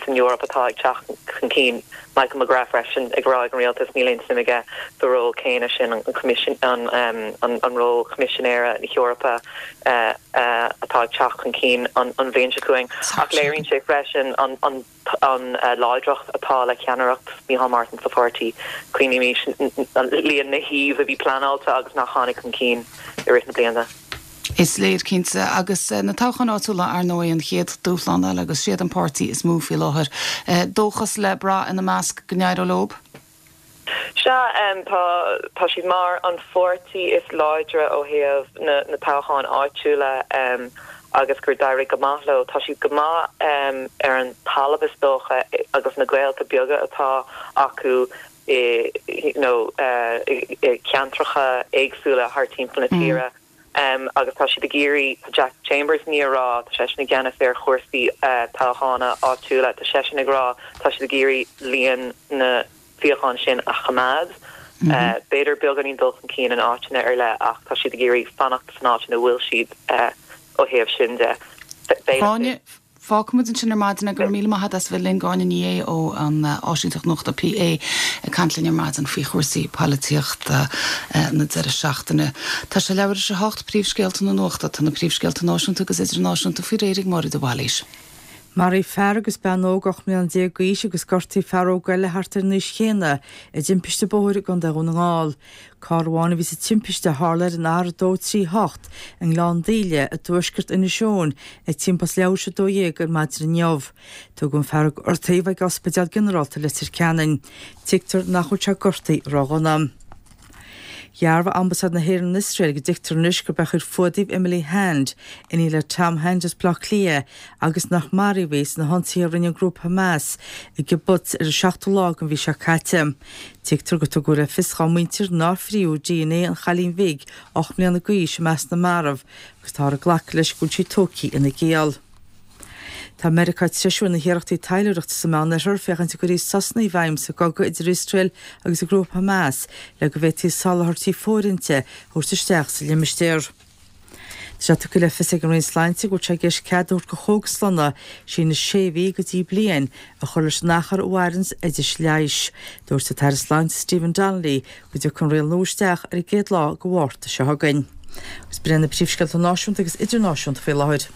san Eoraip atá ag teacht chun cinn. Michael McGrath freisin ag rá ag an rialtas níl aon suim aige sa ról céanna sin, an ról Choimisinéara na hEorpa atá ag teacht chun cinn an bhliain seo chugainn. Ach léiríonn sé freisin an an láidreacht atá le ceannaireacht Micheál Martin sa pháirtí. Cuimhnímis líon na shuíomh a bhí pleanáilte agus nach tháinig chun cinn i rith na bliana. Is léir, cinnte. Agus na toghcháin áitiúla, ar ndóigh, an chéad dúshlán eile agus siad an páirtí is mó faoi láthair. Dóchas le brath ina measc go n-éireoidh leo? Sea, tá, tá siad mar an pháirtí is láidre ó thaobh na, na toghcháin áitiúla agus gur d'éirigh go maith leo. Tá siad go maith ar an talamh is dócha agus na gaolta beaga atá acu i, you know, i ceantracha éagsúla thar timpeall na tíre. Agus tá siad ag iarraidh, tá Jack Chambers i ndiaidh a rá, tá seisean i gceannas ar chúrsaí toghchána áitiúla, tá seisean ag rá tá siad ag iarraidh líon na suíochán sin a choimeád. B'fhéidir beagáinín dul chun cinn in áiteanna ar leith ach tá siad ag iarraidh fanacht san áit ina bhfuil siad ó thaobh sin de. Gráinne, Fágfaimid ansin ar maidin é. Go raibh míle maith agat as a bheith linn. Gráinne Ní Aodha ó an áisínteacht nuachta PA ag caint linn ar maidin faoi chúrsaí poilitíochta na deireadh seachtaine. Tá sé leathuair tar éis a hocht, príomhscéalta na nuachta. Tá na príomhscéalta náisiúnta agus idirnáisiúnta faoi réir ag Máire de Bhailís. Maraíodh fear agus bean óg 18 mbliana d'aois agus gortaíodh fear óg eile thart ar an aois chéanna i dtimpiste bóthair i gContae Dhún na nGall. Carr amháin a bhí sa timpiste a tharla ar an R238 i nGleann Daoile i dtuaisceart Inis Eoghain ag timpeall is leathuair tar éis 12 ar maidin inniu. Tugadh an fear a gortaíodh ag Ospidéal Ginearálta Leitir Ceanainn. Tuigtear nach bhfuil sé gortaithe ródhona. Dhearbhaigh Ambasáid na hÉireann in Iosrael go dtuigtear anois gurb é a chuir fuadaíodh Emily Hand, iníon le Tom Hand as Baile Átha Cliath, agus nach maraíodh í sna hionsaithe a rinne an grúpa Hamas i gkibbutz ar an seachtú lá den mhí seo caite. Tuigtear gur tugadh le fios dá muintir nár fríodh dna an chailín bhig, 8 mbliana d'aois, i measc na marbh agus táthar ag glacadh leis go bhfuil sí tógtha ina giall. Tá Meiriceá ag treisiú na hiarrachtaí taidhleoireachta sa Meánoirthear féachaint an gcuirfí sosanna i bhfeidhm sa gcogadh idir Iosrael agus an grúpa Hamas le go bhféadfaí soláthairtí fóirithinte a thabhairt isteach sa limistéar. Tá sé tugtha le fios ag an Roinn Sláinte go bhfuil sé i gceist cead a thabhairt do chógaslanna síneadh sé mhí go dtí bliain a chur leis an achar a mhaireanns oidis leighis. Dúirt an tAire Sláinte Stephen Donnelly go dtiocfaidh an riail nua isteach ar an gcéad lá de Mhárta seo chugainn. Agus b'in iad na príomhscéalta náisiúnta agus idirnáisiúnta faoi láthair.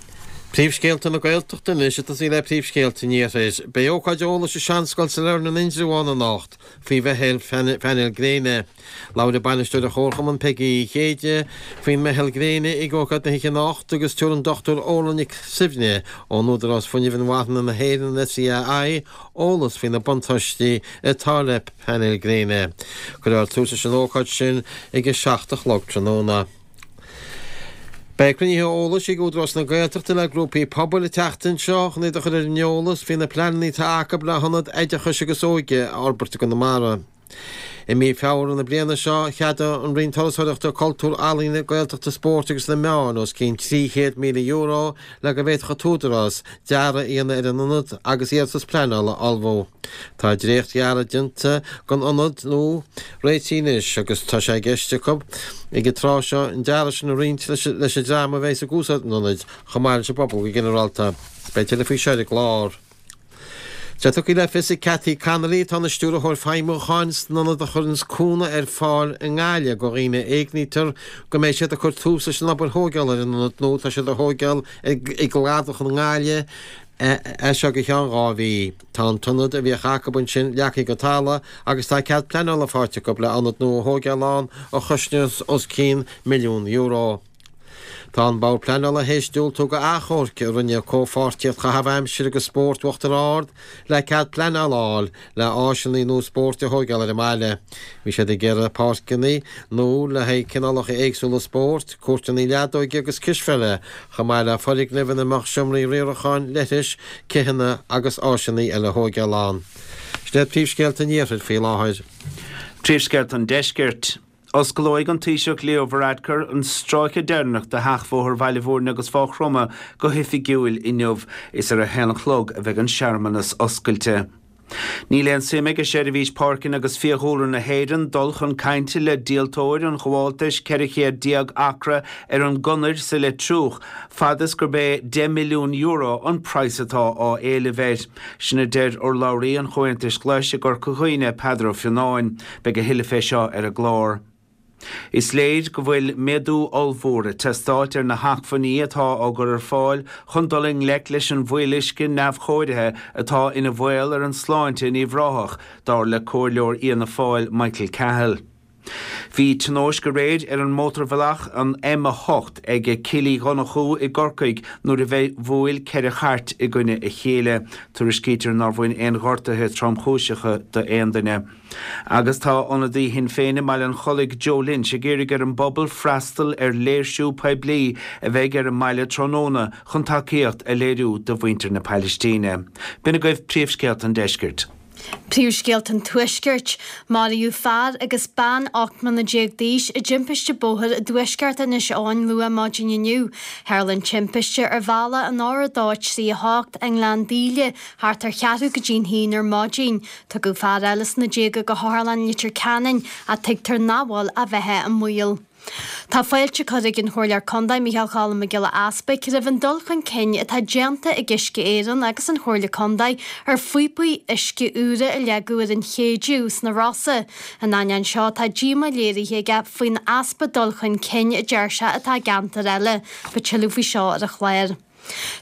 Príomhscéalta na Gaeltachta anois ag tosaí le príomhscéalta an Iarthair. Beidh ócáid eolais i Seanscoil Sailearna in Indreabhán anocht faoi mheitheal phainéil gréine. Labharfaidh bainisteoir an Chomharchumainn Peigí Uí Chéide faoin meitheal gréine ag ócáid na hoíche anocht agus tabharfaidh an Dr Orla Nic Suibhne ón Údarás Fuinnimh Inmharthana na hÉireann, an SEAI, eolas faoi na buntáistí atá le painéil gréine. Cuirfear tús leis an ócáid sin ag a 7 a chlog tráthnóna. Beidh cruinnithe eolais ag Údarás na Gaeltachta le grúpaí pobail an tseachtain seo chun iad a chur ar an eolas faoi na pleananna atá acu le hionad oideachais agus óige a fhorbairt i gConamara. I mí Feabhra na bliana seo, cheadaigh an Roinn Turasóireachta, Cultúir, Ealaíne, Gaeltachta, Spóirt agus na Meáin os cionn €300,000 le go bhféadfadh an tÚdarás dearadh a dhéanamh ar an ionad agus iarratas pleanála a ullmhú. Tá dréacht-dhearadh déanta den ionad nua réitithe anois agus tá sé i gceist acu ag an tráth seo an dearadh sin a roinnt leis an dream a bheas ag úsáid an ionaid chomh maith leis an bpobal go ginearálta. Beidh tuilleadh faoi seo ar an gclár. Tá tugtha le fios ag Cathy Connolly, atá ina Stiúrthóir Feidhmiúcháin san ionad a chuireanns cúnamh ar fáil i nGaillimh do dhaoine a éignítear, go mbeidh siad ag cur tús leis an obair thóigeála ar an ionad nua atá siad a thóigeáil i gCladach i nGaillimh as seo go ceann 2 mhí. Tá an t-ionad a bhíodh acu ansin leagtha go talamh agus tá cead pleanála faighte acu le ionad nua a thóigeáil ann a chosnós os cionn €1 milliún. Tá an Bord Pleanála théis diúltú do achomharc a rinne Comhpháirtíocht Chaitheamh Aimsire agus Spóirt Uachtar Ard le cead pleanála a fháil le áiseanna nua spóirt a thóigeáil ar an mbaile. Bhí siad ag iarraidh páirceanna nua le haghaidh cineálacha éagsúla spóirt, cúirteanna leadóige agus cispheile, chomh maith le foirgnimh ina mbeadh seomraí riaracháin, leithris, cithheanna agus áiseanna eile a thóigeáil ann. Sin iad príomhscéalta an Iarthair faoi láthair. Príomhscéalta an Deiscirt. Osclóidh an Taoiseach Leo Varadkar an stráice deireanach de sheachbhóthar Bhaile Bhúirne agus Mhaigh Chromtha go hoifigiúil inniu. Is ar a haon a chlog a bheidh an searmanas oscailte. Níl aon suim ag Seirbhís Páirceanna agus Fiadhúlra na hÉireann dul chun cainte le díoltóir an ghabháltais 14 céad acra ar an gConair sa Leitriúch fad is gurb é €10 milliún an praghas atá á éileamh air. Sin a deir urlabhraí an Chomhaontais Ghlais i gCorca Dhuibhne, Peadar Ó Fionnáin. Beidh a thuilleadh fé seo ar an gclár. Is léir go bhfuil méadú ollmhór ag teastáilt ar na hacmhainní atá á gcur ar fáil chun dul i ngleic leis an bhfuíolluisce neamhchóirithe atá ina bhaol ar an sláinte in Uíbh Ráthach, dar le Comhairleoir Fhianna Fáil Michael Cahill. Bhí tionóisc aréir ar an mótarbhealach, an M8, ag Cill Uí Dhonnchú i gCorcaigh nuair a bhuail 4 chairt i gcoinne a chéile. Tuairiscítear nár bhain aon ghortuithe tromchúiseacha d'aon duine. Agus tá ionadaí Shinn Féin i mBaile an Chollaigh, Joe Lynch, ag iarraidh ar an bpobal freastal ar léirsiú poiblí a bheidh ar an mbaile tráthnóna chun tacaíocht a léiriú do mhuintir na Pailistíne. B'in agaibh príomhscéalta an deiscirt. Príomhscéalta an Tuaiscirt. Maraíodh fear agus bean 18 mbliana d'aois i dtimpiste bóthair i dtuaisceart Inis Eoghain luath maidin inniu. Tharla an timpiste ar bhealach an R238 i nGleann Díle thart ar cheathrú go dtí'n haon ar maidin. Tugadh fear eile sna déaga go hOtharlann Leitir Ceanainn ach tuigtear nach bhfuil a bheatha i mbaol. Tá fáilte curtha ag an Chomhairleoir Contae Micheál Cholm Mac Giolla Easpaig roimh an dul chun cinn atá déanta ag Uisce Éireann agus an Chomhairle Contae ar phíopaí uisce úra a leagadh ar an Chéideadh sna Rosa. In ainneoin seo tá díomá léirithe aige faoin easpa dul chun cinn a deir sé atá i gceantair eile. Beidh tuilleadh faoi seo ar an chlár.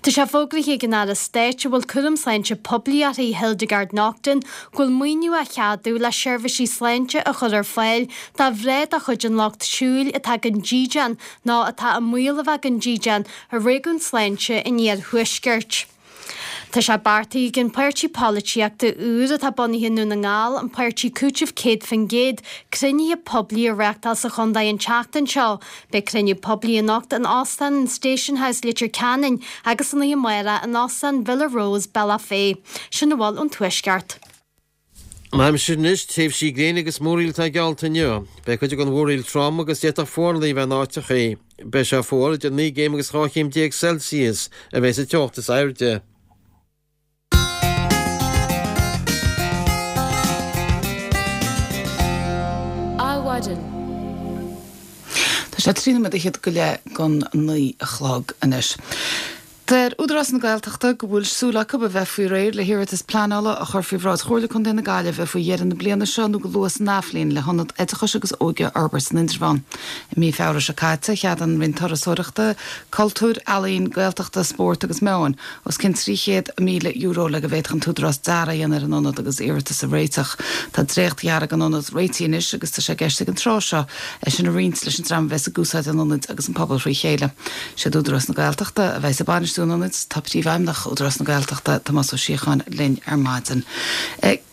Tá sé fógraithe ag an Aire Stáit a bhfuil cúram sláinte poiblí uirthi, Hildegarde Naughton, go bhfuil maoiniú á cheadú le seirbhísí sláinte a chur ar fáil do mhná de chuid an lucht siúil atá gan dídean nó atá i mbaol a bheith gan dídean i réigiún sláinte an iarthuaiscirt. Tá sé beartaithe ag an páirtí polaitíochta úr atá bunaithe i nDún na nGall, an Páirtí Cúitimh 100%, cruinnithe poiblí a reáchtáil sa chontae an tseachtain seo. Beidh cruinniú poiblí anocht in Óstán an Station House, Leitir Ceanainn agus san oíche amárach in Óstán Villa Rose, Bealach Féich. Sin a bhfuil ón Tuaisceart. An aimsir anois, tréimhsí gréine agus múraíl atá geallta inniu. Beidh cuid den mhúraíl trom agus d'fhéadfadh fuarlaigh a bheith in áiteachaí. Beidh sé fuar, idir 9 gcéim agus 12 chéim Celsius a bheidh sa teocht is airde. Adhmhaidin. Tá sé 13 nóiméad go leith don 9 a chlog anois. Deir Údarás na Gaeltachta go bhfuil súil acu a bheith faoi réir le hiarratas pleanála a chur faoi bhráid Chomhairle Contae na Gaillimhe faoi dheireadh na bliana seo nó go luath san athbhliain le hionad oideachais agus óige a fhorbairt san Indreabhán. I mí Feabhra seo caite, cheadaigh an Roinn Turasóireachta, Cultúir, Ealaíon, Gaeltachta, Spóirt agus Meáin os cionn €300,000 le go bhféadfadh an tÚdarás dearadh a dhéanamh ar an ionad agus iarratas a réiteach. Tá dréacht-dhearadh an ionaid réitithe anois agus tá sé i gceist ag an tráth seo é sin a roinnt leis an dream a bheas ag úsáid an ionaid agus an pobal thrí chéile. Siad Údarás na Gaeltachta a bheas ag bainistiú an ionaid. Tá Príomhfheidhmeannach Údarás na Gaeltachta, Tomás Ó Síocháin, linn ar maidin.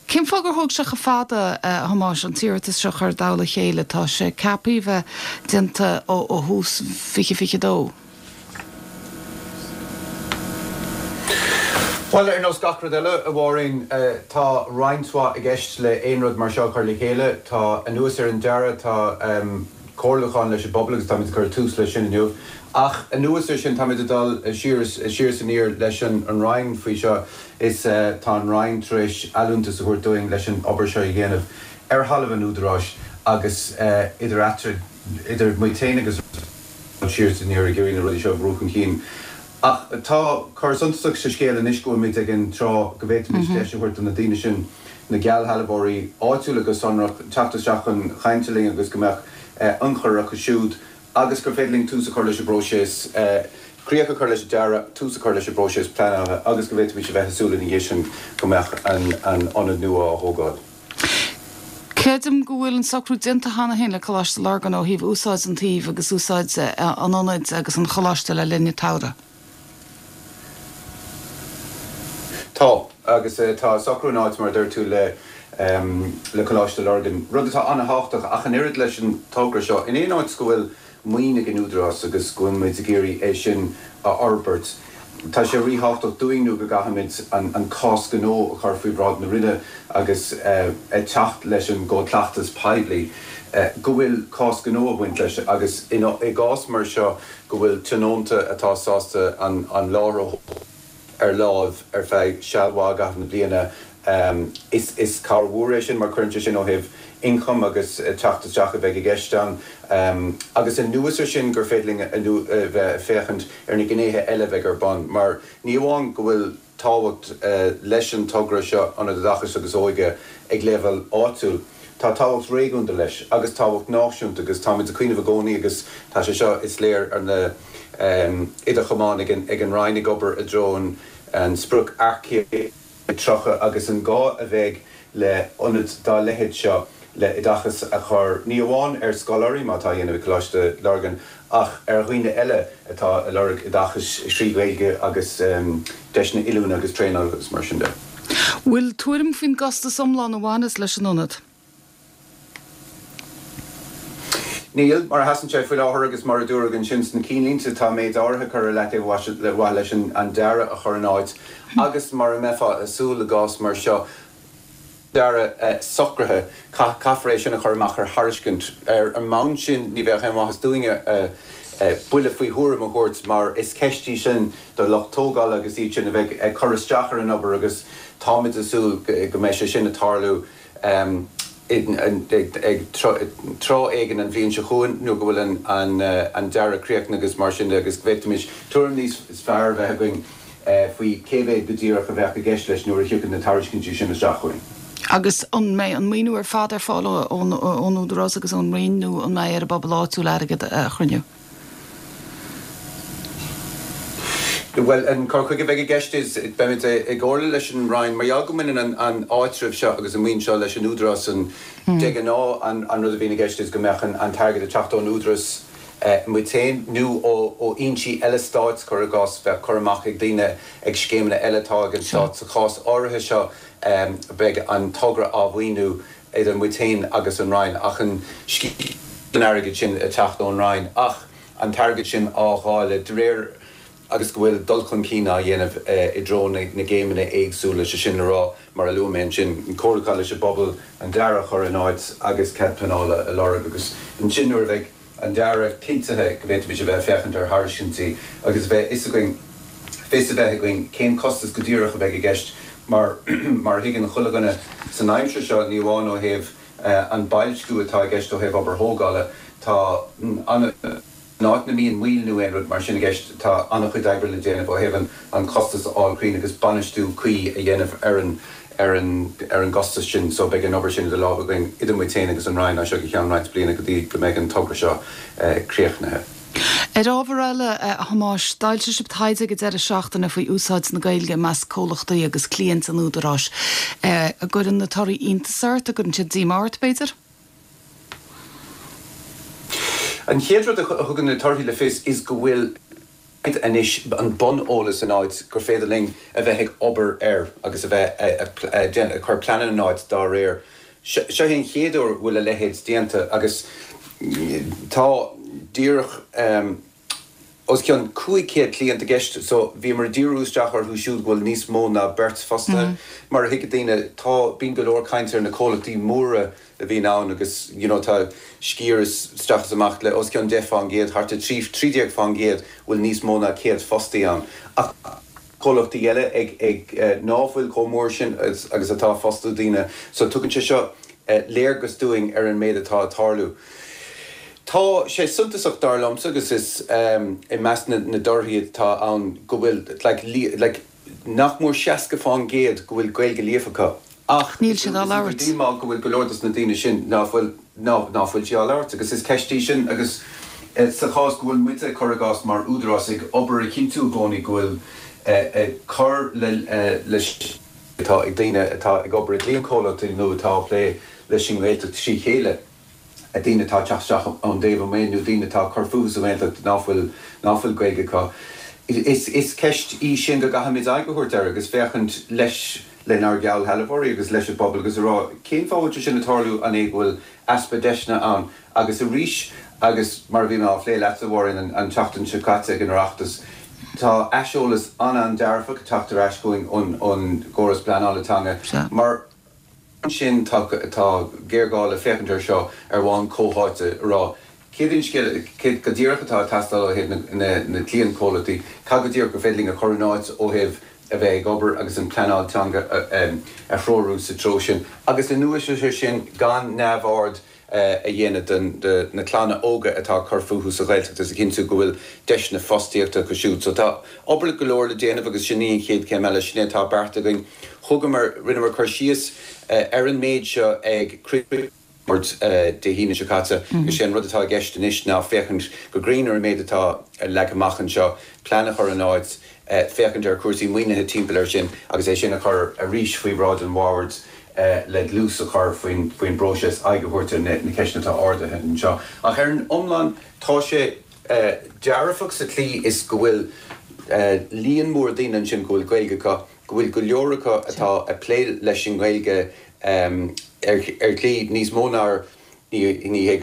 Cén fáth gur thóg sé chomh fada, a Thomáis, an t-iarratas seo a chur i dtoll a chéile? Tá sé ceaptha a bheith déanta ó thús 2022. Bhuel, ar nós gach rud eile, a Mháirín, tá roinnt mhaith i gceist le aon rud mar seo a chur le chéile. Tá, anuas ar an dearadh, tá comhairliúchán leis an bpobal agus táimid ag cur tús leis sin inniu. Ach anuas ar sin, táimid ag dul siar is siar is aniar leis an Roinn faoi seo is tá an Roinn tar éis allúntas a thabhairt dúinn leis an obair seo a dhéanamh ar thalamh an Údaráis agus idir eatarthu, idir muid féin agus siar is aniar ag iarraidh na rudaí seo a bhrú chun cinn. Ach tá cor suntasach sa scéal anois go bhfuilimid ag an tráth go bhféadfaimis deis a thabhairt do na daoine sin, na geallshealbhóirí áitiúla go sonrach, teacht isteach chun cainte linn agus go mbeadh ionchur acu siúd agus gur féidir linn tús a chur leis an bpróiseas, críoch a chur leis an dearadh, tús a chur leis an bpróiseas pleanála agus go bhféadfaimis a bheith ag súil ina dhiaidh sin go mbeadh an t-ionad nua á thógáil. Creidim go bhfuil an socrú déanta cheana féin le Coláiste Lurgan ó thaobh úsáid an tsuímh agus úsáid an ionaid agus an choláiste le linn an tsamhraidh. Tá, agus tá socrú in áit, mar a deir tú, le le Coláiste Lurgan, rud atá an-thábhachtach ach an oiread leis an togra seo. In aon áit go bhfuil maoin ag an Údarás agus go bhfuil muid ag iarraidh é sin a fhorbairt. Tá sé ríthábhachtach dúinn nó go gcaithfimid an cás gnó a chur faoi bhráid na Roinne agus ag teacht leis an gCód Cleachtais Poiblí go bhfuil cás gnó ag baint leis agus i gcás mar seo go bhfuil tionónta atá sásta an láthair a ar láimh ar feadh seal mhaith i gcaitheamh na bliana. Is cabhair mhór é sin mar cuireann sé sin ó thaobh ioncaim agus teacht isteach a bheidh i gceist ann. Agus anuas ar sin gur féidir linn a bheith ag féachaint ar na gnéithe eile a bheidh ar bun mar ní amháin go bhfuil tábhacht leis an togra seo, Ionad Oideachais agus Óige, ag leibhéal áitiúil, tá tábhacht réigiúnda leis agus tábhacht náisiúnta agus táimid ag cuimhneamh i gcónaí agus tá sé seo, is léir, ar na idirchamáin ag an Roinn ag obair i dtreo an sprioc earcaíochta 30 agus an gá a bheidh le ionad dá leithéid seo le oideachas a chur ní amháin ar scoláirí, mar atá á dhéanamh ag Coláiste Lurgan, ach ar dhaoine eile atá ag lorg oideachais thrí Ghaeilge agus deiseanna oiliúna agus traenála agus mar sin de. Bhfuil tuairim faoin gcostas iomlán a bhaineas leis an ionad? Níl. Mar a sheasann sé faoi láthair agus mar a dúradh ansin sna cinnlínte, tá méid áirithe curtha i leataobh ar mhaithe leis an dearadh a chur in áit agus mar a mbeifeá ag súil i gcás mar seo, dearadh socraithe, caithfear é sin a chur amach ar thairiscint. Ar an mbonn sin, ní bheadh aon mhaitheas dúinne buille faoi thuairim a thabhairt mar is ceist í sin do lucht tógála agus iad sin a bheidh ag cur isteach ar an obair agus táimid ag súil go mbeidh sé sin ag tarlú ag tráth éigin an bhliain seo chugainn nuair go bhfuil an dearadh críochnaithe agus mar sin de agus go bhféadfaimis tuairim níos fearr a bheith againn faoi cé mhéad go díreach a bheadh i gceist leis nuair a thiocfaidh na tairiscintí sin isteach chugainn. Agus an mbeidh an maoiniú ar fad ar fáil ón Údarás agus ón Roinn nó an mbeidh ar an bpobal áitiúil airgead a chruinniú? Bhuel, an cur chuige a bheidh i gceist is, beimid i gcomhairle leis an Roinn, mar gheall go mbaineann an áitreabh seo agus an mhaoin seo leis an Údarás, an, de ghnáth an rud a bhíonn i gceist is go mbeadh an t-airgead ag teacht ón Údarás, muid féin, nó ó fhoinsí eile stáit, cuir i gcás, bheadh cur amach ag daoine ag scéimeanna eile atá ag an stát. Sa chás áirithe seo, beidh an togra á mhaoiniú idir muid féin agus an Roinn, ach an sciar den airgead sin ag teacht ón Roinn, ach an t-airgead sin á dháileadh de réir agus go bhfuil dul chun cinn á dhéanamh i dtreo na gcéimeanna éagsúla, sé sin le rá, mar a luaigh mé ansin, an comhairliúchán leis an bpobal, an dearadh a chur in áit agus cead pleanála a lorg agus ansin nuair a bheidh an dearadh cinntithe go bhféadfaimis a bheith ag féachaint ar thairiscintí agus a bheith fhios againn fios a bheith againn cén costas go díreach a bheidh i gceist mar mar a thuigeann chuile dhuine san aimsir seo ní amháin ó thaobh an boilsciú atá i gceist ó thaobh obair thógála tá an In áit na mbíonn moill nó aon rud mar sin i gceist tá an-chuid oibre le déanamh ó thaobh an costas a fháil cruinn agus bainistiú cuí a dhéanamh ar an ar an ar an gcostas sin so beidh an obair sin idir lámha againn idir muid féin agus an Roinn as seo go ceann roinnt bliana go dtí go mbeidh an togra seo críochnaithe. Ar ábhar eile, a Thomáis, d'fhoilsigh sibh taighde ag an deireadh seachtaine faoi úsáid na Gaeilge i measc comhlachtaí agus cliaint an Údaráis. An gcuireann na torthaí iontas ort? An gcuireann siad díomá ort, b'fhéidir? An chéad rud a thugann na torthaí le fios is go bhfuil anois an buneolas in áit gur féidir linn a bheith ag obair air agus a bheith ag cur pleananna in áit dá réir. Seo é an chéad uair a bhfuil a leithéid déanta agus tá díreach os cionn 500 cliant i gceist so bhíomar ag díriú isteach orthu siúd go bhfuil níos mó ná beirt fostaithe. Mar a thuigfidh daoine tá, bíonn go leor cainte ar na comhlachtaí móra a bhíonn ann agus you know tá sciar isteach is amach le os cionn 10 fán gcéad, thart ar 13 13 fán gcéad bhfuil níos mó ná 100 fostaí ann. Ach comhlachtaí eile ag ag ná fuil chomh mór sin agus atá ag fostú daoine so tugann sé seo léargas dúinn ar an méid atá ag tarlú. Tá sé suntasach dar liomsa agus is i measc na na dtorthaí atá ann go bhfuil like like nach mór 60 fán gcéad go bhfuil Gaeilge líofa acu ach Níl siad á labhairt. Is díomá go bhfuil go leor dos na daoine sin ná fuil ná ná fuil sí á labhairt agus is ceist í sin agus sa chás go bhfuil muide, cuir i gcás, mar údarás ag obair a chinntiú i gcónaí go bhfuil ag cur le le atá ag daoine atá ag obair i gcliantchomhlachtaí nó atá ag plé leis an nGaeltacht trí chéile. daoine atá ag teacht isteach ón dtaobh amuigh nó daoine atá ag cur fúthu sa nGaeltacht ná fuil, ná fuil Gaeilge acu. Is, is ceist í sin go gcaithfimid aghaidh a thabhairt air agus féachaint leis, lenár geallshealbhóirí agus leis an bpobal agus a rá cén fáth a bhfuil sé sin ag tarlú, an é go bhfuil easpa deiseanna ann? Agus arís, agus mar a bhí mé á phlé leatsa, a Mháirín, an, an tseachtain seo caite ag an Oireachtas, tá aiseolas an-an-dearfach ag teacht ar ais chugainn ón, ón gcóras pleanála teanga mar, Ansin tá tá géarghá le féachaint air seo ar bhonn comhtháite, a rá céard é an scéal, céard go díreach atá ag teastáil ó thaobh na na cliantchomhlachtaí, cad go díreach gur féidir linn a chur in áit ó thaobh. a bheith ag obair agus an pleanáil teanga a threorú sa treo sin agus anuas air sin gan neamhaird a dhéanamh de na clanna óga atá ag cur fúthu sa Ghaeltacht agus a chinntiú go bhfuil deiseanna fostaíochta acu siúd. So tá obair go leor le déanamh agus sin í an chéad chéim eile, sin é atá beartaithe againn. Thugamar, rinneamar cur síos ar an méid seo ag cruinniú boird Dé hAoine seo caite agus sé an rud atá i gceist anois ná féachaint go cruinn ar an méid atá leagtha amach anseo, plean a chur in áit, féachaint ar chúrsaí maoinithe timpeall air sin agus é sin a chur arís faoi bhráid an bhoird le dlús a chur faoin bpróiseas, aghaidh a thabhairt ar na ceisteanna atá ardaithe anseo. Ach ar an iomlán, tá sé dearfach sa tslí is go bhfuil líon mór daoine ansin go bhfuil Gaeilge acu, go bhfuil go leor acu atá ag plé leis an nGaeilge ar shlí níos mó ná ní hé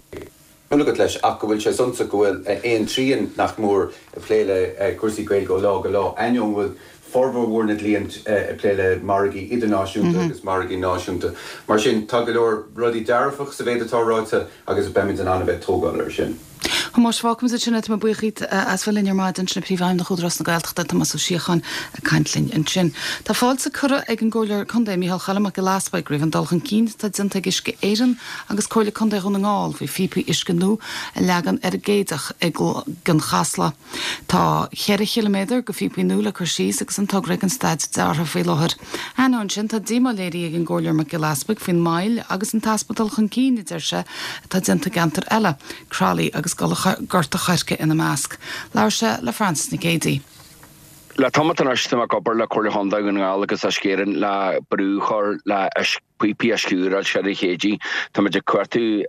go agat leis ach go bhfuil sé suntasach go bhfuil aon trian nach mór ag plé le cúrsaí Gaeilge ó lá go lá, ainneoin go bhfuil formhór mhór na gcliant ag plé le margaí idirnáisiúnta agus margaí náisiúnta. Mar sin, tá go leor rudaí dearfach sa mhéid atá ráite agus beimid in ann a bheith ag tógáil air sin. Thomáis, fágfaimid ansin é. Tá mé buíoch díot as bheith linn ar maidin. Sin é Príomhfheidhmeannach Údarás na Gaeltachta, Tomás Ó Síocháin, ag caint linn ansin. Tá fáilte curtha ag an gComhairleoir Contae Micheál Choilm Mac Giolla Easbuig roimh an dul chun cinn atá déanta ag Uisce Éireann agus Comhairle Contae Dhún na nGall faoi phíopaí uisce nua a leagan ar an gCéideach i gCionn Chasla. Tá cheithre chiliméadar de phíopaí nua le cur síos agus an togra ag an staid deartha faoi láthair. Ainneoin sin, tá díomá léirithe ag an gComhairleoir Mac Giolla Easbuig faoin moill agus an t-easpa dul chun cinn, a deir sé, atá déanta i gceantair eile, Croithlí agus Gort a' Choirce ina measc. Labhair sé le Frances Nic Géadaigh. Le tamall anois tá mé ag obair le Comhairle Chontae Dhún na nGall agus Uisce Éireann le brú a chur le píopaí uisce úr a fháil ar an Chéidigh. Táimid ag cuartú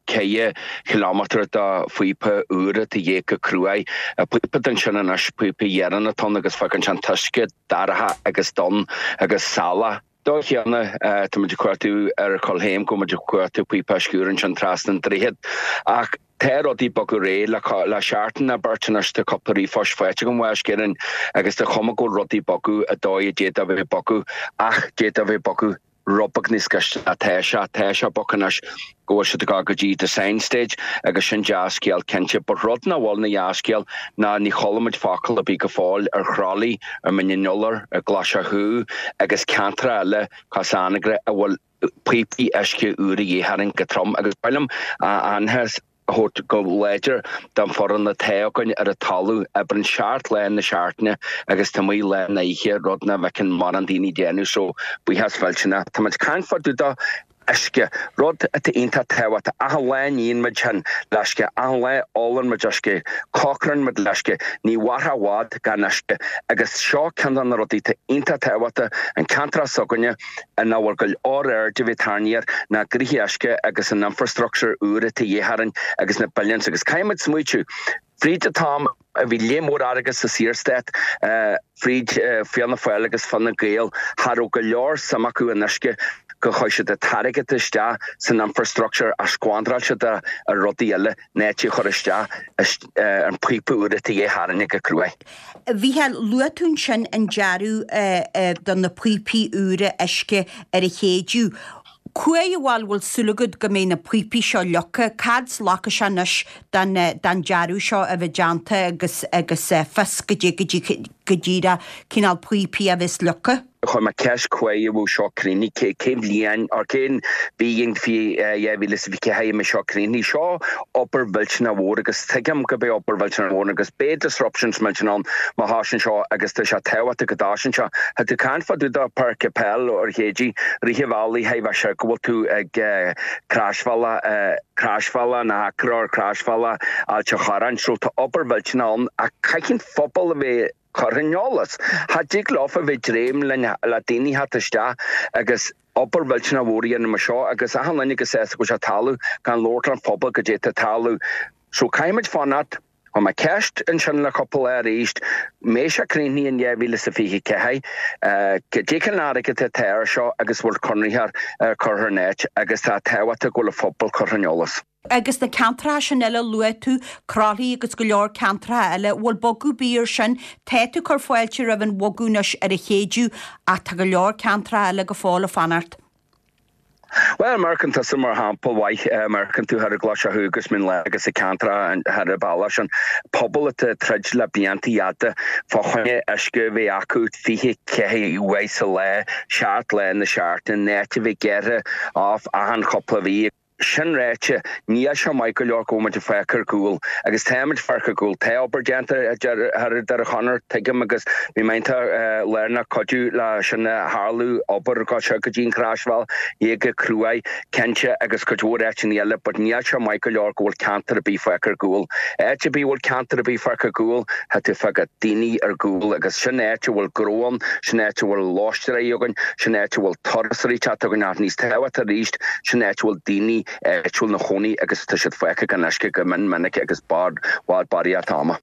4 chileámetar de phíopa úr atá de dhíth go cruaidh. Píopa den sin anois, píopa dheireanach atá ann agus fágann sé an t-uisce dorcha agus donn agus salach. Dóigh chéanna, táimid ag cuartú ar Choill Chéim go bhfuil muid ag cuartú píopa uisce úr ansin trasna an droichead. Ach tá rudaí ag bogadh ar aghaidh le le seachtain nó beirt anois tá cúpla ríomhphost faighte agam ó Uisce Éireann agus tá cuma go bhfuil rudaí ag bogadh an dóigh a d'fhéadfadh a bheith ag bogadh ach d'fhéadfadh a bheith ag bogadh rud beag níos gaiste ná tá sé. Tá sé ag bogadh anois go bhfuil siad ag dul go dtí design stage agus sin dea-scéal cinnte. But rud nach bhfuil ina dhea-scéal ná ní chuala muid focal ar bith go fóill ar Chroithlí, ar Mhín an Iolair, ar Ghlais Chú agus ceantracha eile cos Anagaire a bhfuil píopaí uisce úr a dhíth orainn go trom agus ba mhaith liom aitheantas a thabhairt go láidir don foireann atá againn ar an talamh, oibreann 7 lá na seachtaine agus taobh amuigh lá na oíche, rud nach bhfeiceann mórán daoine ag déanamh so buíochas mhillteanach. Tá muid ag caint fá dtaobh de uisce, rud atá iontach tábhachtach. Achan lá níonn muid sinn le uisce, achan lá ólann muid uisce, cócarann muid le uisce, ní mhairfeá i bhfad gan uisce agus seo ceann de na rudaí atá iontach tábhachtach, an ceantar s'againne ina bhfuil go leor aird a bheith tarraingthe air ná gnoithe uisce agus an infrastructure úr atá de dhíth orainn agus na billions agus caithfidh muid smaoitiú fríd an t-am a bhí léim mhór airgead sa Saorstát fríd Fianna Fáil agus Fine Gael cha raibh go leor suim acu in uisce go chuir siad an t-airgead isteach san infrastructure ach squanderáil siad é ar rudaí eile in áit é a chur isteach an píopa úr atá de dhíth orainne go cruaidh. A Mhícheáil, luaigh tú ansin an dearadh do na píopaí úra uisce ar an Chéideadh. Cá huair a bhfuil súil agat go mbeidh na píopaí seo leagtha? Cad glacfaidh sé anois don don dearadh seo a bheith déanta agus agus fios goidé go go díreach cineál píopaí a bheas leagtha? Chuir mé ceist cá huair a bheadh seo críochnaithe, cén bhliain or cén bhliain 2024 a mbeidh seo críochnaithe. Seo obair mhillteanach mhór agus tuigim go beidh obair mhillteanach mhór agus beidh disruptions millteanach ann má thosaíonn seo agus tá sé tábhachtach go dtosaíonn sé. Tá tú ag caint fá dtaobh de páirc peil ar Chéididh, rith an bhealaigh chaithfidh bheith sé go bhfuil tú ag croisbhealach croisbhealach na hAcra or croisbhealach Ailt an Chorráin so tá obair mhillteanach ann ach caithfidh an phobal a bheith curtha ar an eolas. Cha dtig leofa bheith dréim le daoine theacht isteach agus obair mhillteanach mhór a dhéanamh mar seo agus achan duine go sásta go bhfuil sé ag tarlú gan labhairt leis an phobal goidé atá ag tarlú. So caithfimid fanacht. Chuir mé ceist ansin le cúpla lá arís, mbeidh sé críochnaithe in 2024, goidé cén airgead atá air seo agus bhfuil conraitheoir curtha in áit agus tá tábhachtach go bhfuil an phobal curtha ar an eolas. Agus na ceantracha sin eile a luaigh tú, Croithlí agus go leor ceantracha eile, bhfuil bogadh ar bith ar sin? Tá tú ag cur fáilte roimh an bhogadh anois ar an Chéideadh ach tá go leor ceantracha eile go fóill ag fanacht. Bhuel, amharcann tusa mar shampla mhaith, amharcann tú thar i gClois Átha agus Mín Lárach agus i ceantracha thar an bealach sin, pobal atá ag troid le blianta fhada fá choinne uisce a bheith acu 24 uair sa lá, 7 lá na seachtaine, in áit a bheith gearrtha off achan chúpla mhí. Sin ráite, níl sé maith go leor go bhfuil muid ag fágáil ar gcúl, agus tá muid ag fágáil ar gcúl. Tá obair déanta thar an Doire Chonaire, tuigim, agus bhí mé iontach lárnach cuidiú le sin a tharlú, obair go seo go dtí an Chroisbhealach, thiar go Cruaich, cinnte, agus cuid mhór áiteanna eile, but níl sé maith go leor go bhfuil ceantar ar bith fágtha ar gcúl. Áit ar bith a bhfuil ceantar ar bith fágtha ar gcúl, tá tú ag fágáil daoine ar gcúl, agus sin áit a bhfuil gnó ann, sin áit a bhfuil lóistéirí againn, sin áit a bhfuil turasóirí ag teacht againn, ach níos tábhachtaí arís, Sin áit a bhfuil daoine áitiúil 'na chónaí agus tá siad fágtha gan uisce go mion minic agus bard bhfad barraíocht ama.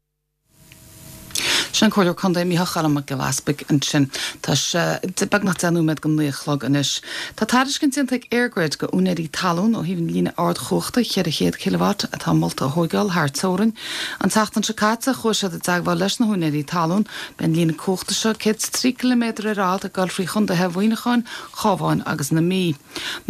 Sin an Comhairleoir Contae Micheál Choilm Mac Giolla Easpaig ansin. Tá sé beagnach 10 nóiméad go naoi a chlog anois. Tá tairiscint déanta ag EirGrid go úinéirí talún ó thaobh an líne ardchumhachta 400 kilowatt atá molta a thóigeáil thar teorainn. An tseachtain seo caite chuaigh siad i dteagmháil leis na húinéirí talún. Beidh an líne cumhachta seo 103 ciliméadar ar fhad ag dul thrí chontaetha Mhuineacháin, Chábháin agus na Mí.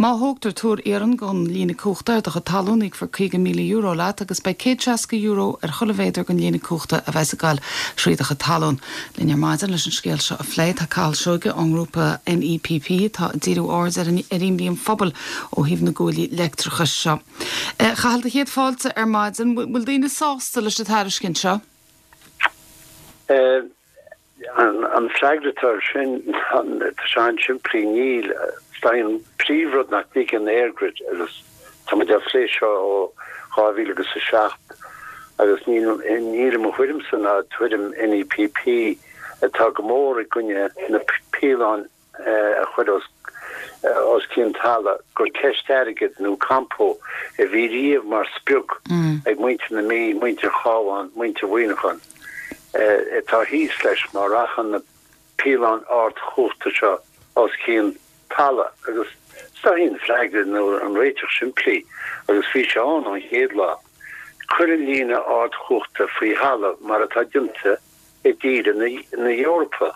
Má thógtar túr iarainn don líne cumhachta ar do chuid talún íocfar €50,000 leat agus beidh €160 ar chuile mhéadar den líne cumhachta a bheas ag goil thrí do chuid talún. Linn ar maidin leis an scéal seo a phlé tá Cathal Seoige ón ngrúpa NEPP atá ag díriú aird ar ar imní an phobail ó thaobh na gcuaillí leictreachais seo. A Chathail, do chéad fáilte ar maidin. Bhfuil daoine sásta leis an tairiscint seo? An freagra atá air sin, tá sé an-simplí, níl. Is é an príomhrud nach dtuigeann EirGrid, agus tá muid á phlé seo ó 2007, agus níl i mo thuairimse ná tuairim NEPP atá go mór i gcoinne na píolóin a chur os cionn talaimh gur ceist airgid nó campa a bhí riamh mar sprioc ag muintir na Mí, muintir Chabháin, muintir Mhuineacháin atá thíos leis má rachann na píolóin ardchumhachta seo os cionn talaimh. Agus is dóichí an freagra nó an réiteach simplí, agus bhí sé ann ón chéad lá, cuir an líne ardchumhachta faoi thalamh mar atá déanta i dtíortha na hEorpa.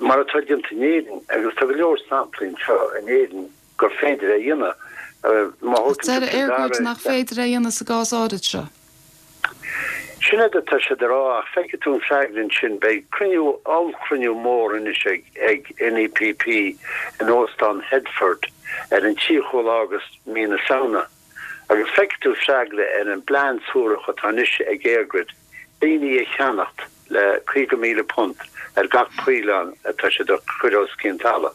Mar atá déanta in Éirinn, agus tá go leor samplaí anseo in Éirinn gur féidir é a dhéanamh. Má Ach thógann deir tú Cill Dara EirGrid nach féidir é a dhéanamh sa gcás áirid seo. Sin é atá siad a rá, ach feicfidh tú an freagra ansin. Beidh cruinniú, ollchruinniú mór anois ag NEPP in Óstán Headford ar an 30ú lá de mhí na Samhna. Agus feicfidh tú freagra ar an bplean suarach atá anois ag EirGrid daoine a cheannacht le £50,000 ar gach píolón atá siad a chur os cionn talaimh.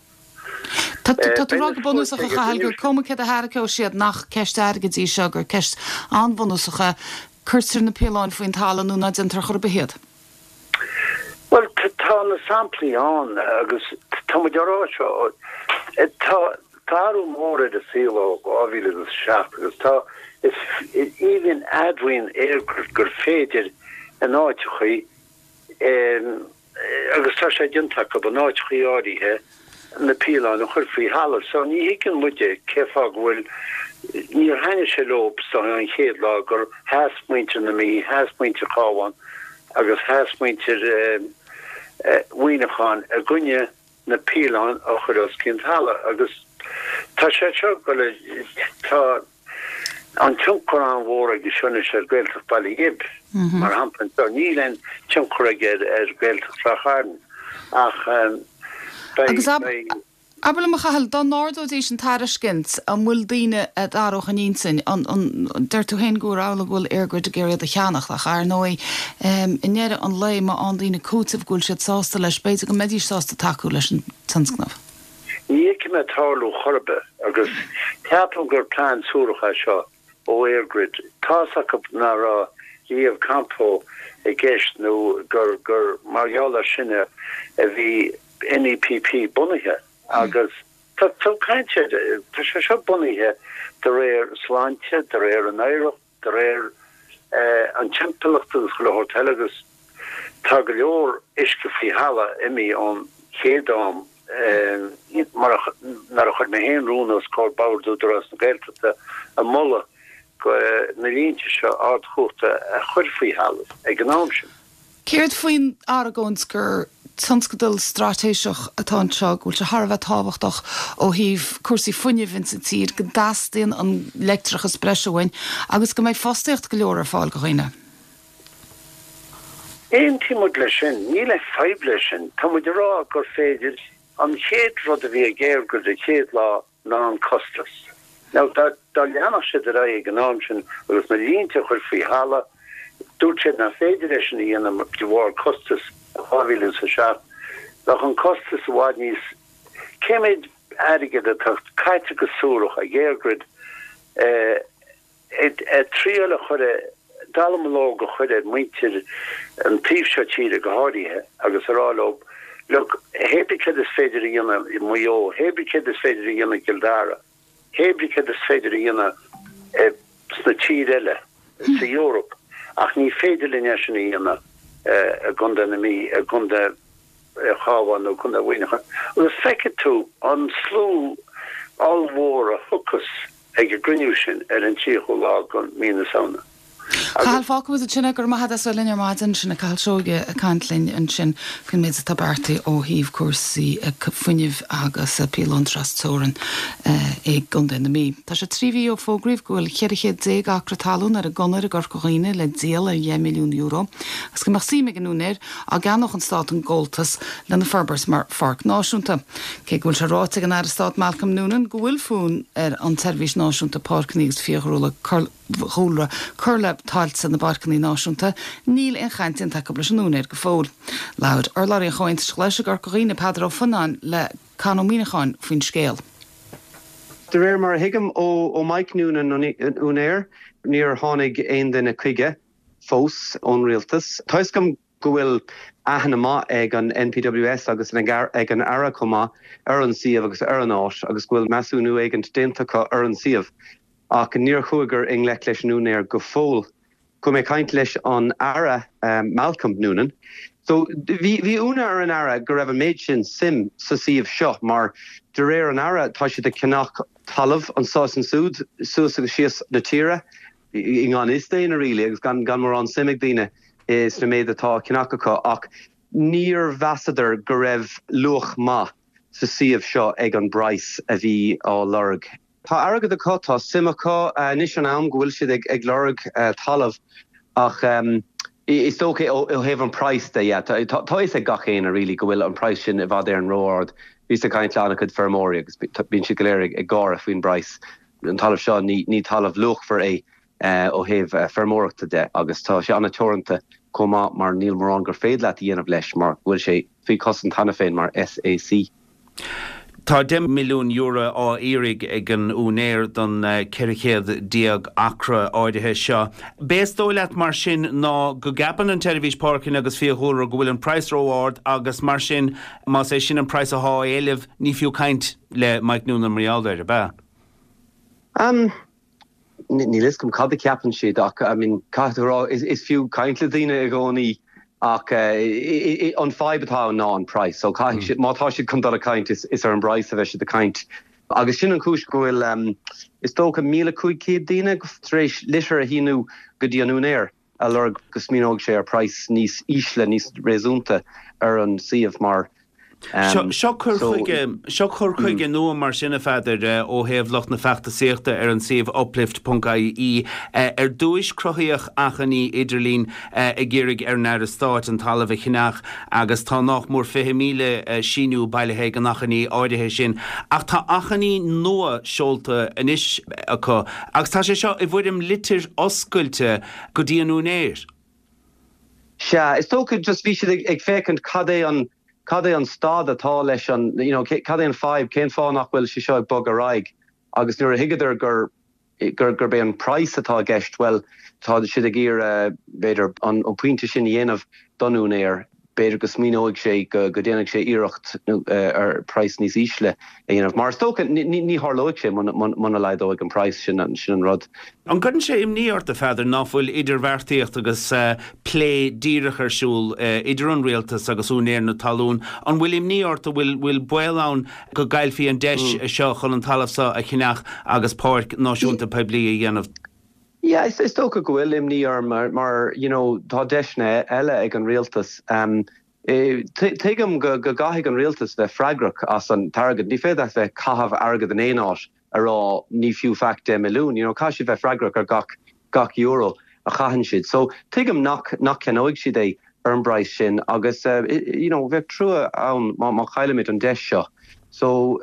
Tá tú ag rá go bunúsach, a Chathail, gur cuma céard a thairgeoidh siad, nach ceist airgid í seo, gur ceist an-bhunúsach é, cuirtear na píolóin faoin talamh nó ná déantar chor ar bith iad. Bhuel, tá na samplaí ann agus tá muid á rá seo, tá athrú mór ar an saol ó 2007 agus tá, is even admhaíonn EirGrid gur féidir in áiteachaí, agus tá sé déanta acu, in áiteachaí áirithe, na píolóin a chur faoi thalamh. So ní thuigeann muide cé fáth go bhfuil, níor thaitnigh sé leo an chéad lá gur sheas muintir na Mí, sheas muintir Chábháin agus sheas muintir Mhuineacháin i gcoinne na píolóin a chur os cionn talaimh agus tá sé seo go le, tá an tionchar an-mhór aige seo anois ar Ghaeltacht Bhaile Ghib, mar shampla anseo. Níl aon tionchar aige ar Ghaeltacht Ráth Chairn ach beidh, Agus beidh. abair liom, a Chathail, dá n-ardóidís an tairiscint, an bhfuil daoine a d'athródh a n-intinn? An, an, deir tú féin gur amhlaidh go bhfuil EirGrid ag iarraidh iad a cheannacht ach ar ndóigh, i ndeireadh an lae, má fhaigheann daoine cúiteamh go bhfuil siad sásta leis, b'fhéidir go mbeidís sásta tacú leis an tionscnamh. Ní fheicim é ag tarlú chor ar bith agus ceapaim gur plean suarach é seo ó EirGrid. Tá's acu nach raibh riamh Campo i gceist nó gur gur mar gheall air sin a bhí NEPP bunaithe agus tá tá caint ar tá sé seo bunaithe de réir sláinte, de réir an oidhreacht, de réir an timpeallacht agus chuile shórt eile agus tá go leor uisce faoi thalamh imithe ón chéad am mar a nuair a chuir mé féin rún os comhair Bord Údarás na Gaeltachta ag moladh go na línte seo ardchumhachta a chur faoi thalamh ag an am sin. Céard faoin argóint gur. tionscadal straitéiseach atá anseo, go bhfuil sé thar a bheith tábhachtach ó thaobh cúrsaí fuinnimh insa tír, go dteastaíonn an leictreachas breise uainn agus go mbeidh fostaíocht go leor ar fáil do dhaoine. Aontaíonn muid leis sin. Níl aon fadhb leis sin. Tá muid ag rá gur féidir an chéad rud a bhí ag EirGrid an chéad lá ná an costas. Now, dá leanfadh siad ar aghaidh ag an am sin agus na línte a chur faoi thalamh, dúirt siad nach féidir é sin a dhéanamh de bharr costas 2007, bheadh an costas i bhfad níos. Cé méid airgead atá caite go suarach ag EirGrid ag triail a chur dallamullóg a chur ar mhuintir an taobh seo tíre go háirithe agus a rá leo, look, hé bith céard is féidir a dhéanamh i Maigh Eo, hé bith céard is féidir a dhéanamh i gCill Dara, hé bith céard is féidir a dhéanamh sna tír eile, sa Eoraip, ach ní féidir linn é sin a dhéanamh i gContae na Mí, i gContae Chabháin nó Contae Mhuineacháin. Agus feicfidh tú an slua ollmhór a thiocfas ag an gcruinniú sin ar an 30ú lá de mhí na Samhna. Cathal, fágfaidh muid ansin é. Go raibh maith agat as bheith linn ar maidin. Sin é Cathal Seoige ag caint linn ansin faoin méid atá beartaithe ó thaobh cúrsaí fuinnimh agus píolóin tras-teorann i gContae na Mí. Tá sé 3 mhí ó fógraíodh go bhfuil 1400 acra talún ar an gConair i gCorca Dhuibhne le díol ar €10 milliún agus go mbeadh suim ag an úinéir dá gceannódh an Stát an gabháltas lena forbairt mar pháirc náisiúnta. Cé go bhfuil sé ráite ag an Aire Stáit Malcolm Noonan go bhfuil fonn ar an tSeirbhís Náisiúnta Páirceanna agus Fiadhúlra cur le tailte na bpáirceanna náisiúnta, níl aon chaint déanta acu leis an úinéir go fóill. Labhair urlabhraí an Chomhaontais Ghlais i gCorca Dhuibhne, Peadar Ó Fionnáin, le Con Ó Muíneacháin faoin scéal. De réir mar a thuigim ó Mike Noonan, an úinéir, níor tháinig aon duine chuige. fós ón rialtas. Tá 'fhios agam go bhfuil aithne maith ag an NPWS agus ag an Aire chomh maith ar an suíomh agus ar an áit agus go bhfuil measúnú éigint déanta acu ar an suíomh ach níor chuaigh i ngleic leis an úinéir go fóill. Chuaigh mé ag caint leis an Aire Malcolm Noonan. So bhí bhí ionadh ar an Aire go raibh an méid sin suim sa suíomh seo mar de réir an Aire tá siad ag ceannach talamh anso is ansúd suas agus síos na tíre. i ngan fhios d'éinne really agus gan mórán suim ag daoine sna méid atá á cheannach acu ach níor mheasadar go raibh luach maith sa suíomh seo ag an bpraghas a bhí á lorg. Tá airgead acu, tá suim acu, anois an am go bhfuil siad ag lorg talamh ach is dócha ó thaobh an praghas de, yeah, tá a fhios ag gach éinne really go bhfuil an praghas sin i bhfad Éireann ró-ard. Bhíos ag caint le an-chuid feirmeoirí agus bíonn siad go léir ag gáire faoin bpraghas. An talamh seo, ní talamh luachmhar é ó thaobh feirmeoireachta de agus tá sé an-teoranta chomh maith mar níl mórán gur féidir leat a dhéanamh leis mar go bhfuil sé faoi chosaint cheana féin mar SAC. Tá €10 milliún á iarraidh ag an úinéir don 1400 acra áirithe seo. B'é is dóigh leat mar sin ná go gceapann an tSeirbhís Páirceanna agus Fiadhúlra go bhfuil an praghas ró-ard agus mar sin más é sin an praghas athá á éileamh ní fiú caint le Mike Noonan mar gheall air, ab ea? Umm, níl fhios agam cad a cheapann siad ach, I mean, caithfidh tú a rá, is fiú caint le daoine i gcónaí ach an fadhb atá ann ná an praghas. So caithfidh siad, má tá siad chun dul ag caint, is ar an bpraghas a bheidh siad ag caint. Agus sin an chúis go bhfuil, is dócha, 1,500 daoine tar éis litir a shíniú go dtí an úinéir. ag lorg go smaoineoidh sé ar praghas níos ísle, níos réasúnta ar an suíomh mar Seo cur chuige, seo cur chuige nua mar sin, a Pheadair, ó thaobh lucht na feachtasaíochta ar an suíomh uplift ponc ie. Ar dtúis cruthaíodh achainí idirlín ag iarraidh ar an Aire Stáit an talamh a cheannach agus tá nách mór 20,000 síniú bailithe ag an achainí áirithe sin. Ach tá achainí nua seolta anois acu agus tá sé seo i bhfoirm litir oscailte go dtí an úinéir. Sea, is dócha just bhí siad ag féachaint cad é an, cad é an staid atá leis an, you know, cad é an fadhb, cén fáth nach bhfuil sé seo ag bogadh ar aghaidh agus nuair a thuigeadar gur, gur, gurb é an praghas atá i gceist, bhuel, tá siad ag iarraidh, b'fhéidir, an pointe sin a dhéanamh don úinéir. B'fhéidir go smaoineoidh sé go déanfaidh sé iarracht ar praghas níos ísle a dhéanamh. Mar is dócha, ní tharlóidh sé muna laghdóidh an praghas, sin an rud. An gcuireann sé imní ort, a Pheadair, ná fuil idirbheartaíocht agus plé díreach ar siúl idir an rialtas agus úinéir na talún? An bhfuil imní ort, an bhfuil baol ann go gcaillfí an deis seo chun an talamh seo a cheannach agus páirc náisiúnta poiblí a dhéanamh? Yeah, is dócha go bhfuil imní orm mar, you know, tá deiseanna eile ag an rialtas. Tuigim go gcaithfidh an rialtas bheith freagrach as an t-airgead. Ní féidir leat bheith ag caitheamh airgead in aon áit a rá ní fiú faic 10 milliún. You know, caithfidh siad bheith freagrach ar gach gach euro a chaitheann siad. So, tuigim nach nach ceannóidh siad é ar an bpraghas sin agus you know, bheadh trua ann má má chaillimid an deis seo. So,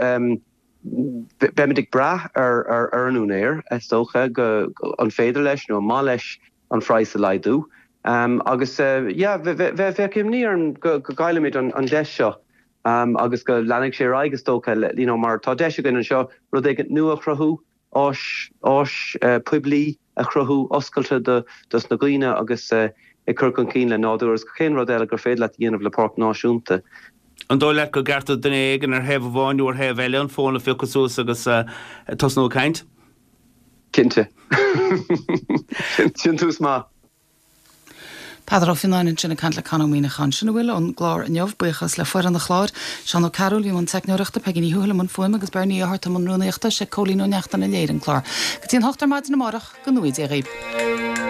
beimid ag brath ar ar ar an úinéir, is dócha, go an féidir leis nó an maith leis an phraghas a laghdú. Agus yeah, bheadh imní orm go gcaillfimid an deis seo agus go leanfaidh sé ar aghaidh is dócha, you know, mar tá deis againn anseo rud éigin nua a chruthú, áis, áis poiblí a chruthú, oscailte do dos na daoine agus ag cur chun cinn le nádúr agus gach aon rud eile gur féidir leat a dhéanamh le páirc náisiúnta. An dóigh leat go gceart do duine éigin ar thaobh amháin nó ar thaobh eile an fón a phiocadh suas agus tosnú ag caint? Cinnte. Sin tús maith. Peadar Ó Fionnáin ansin ag caint le Con Ó Muíneacháin. Sin a bhfuil ón gclár inniu. Buíochas le foireann an chláir, Seán Ó Cearúil i mbun teicneoireachta, Peigí Ní Thuathail i mbun fuaime agus Bernie Ó hEarta i mbun rúnaíochta. Sé Cóilín Ó Neachtain a léirigh an clár. Go dtí an hocht ar maidin amárach, go ngnóthaí Dia dhaoibh.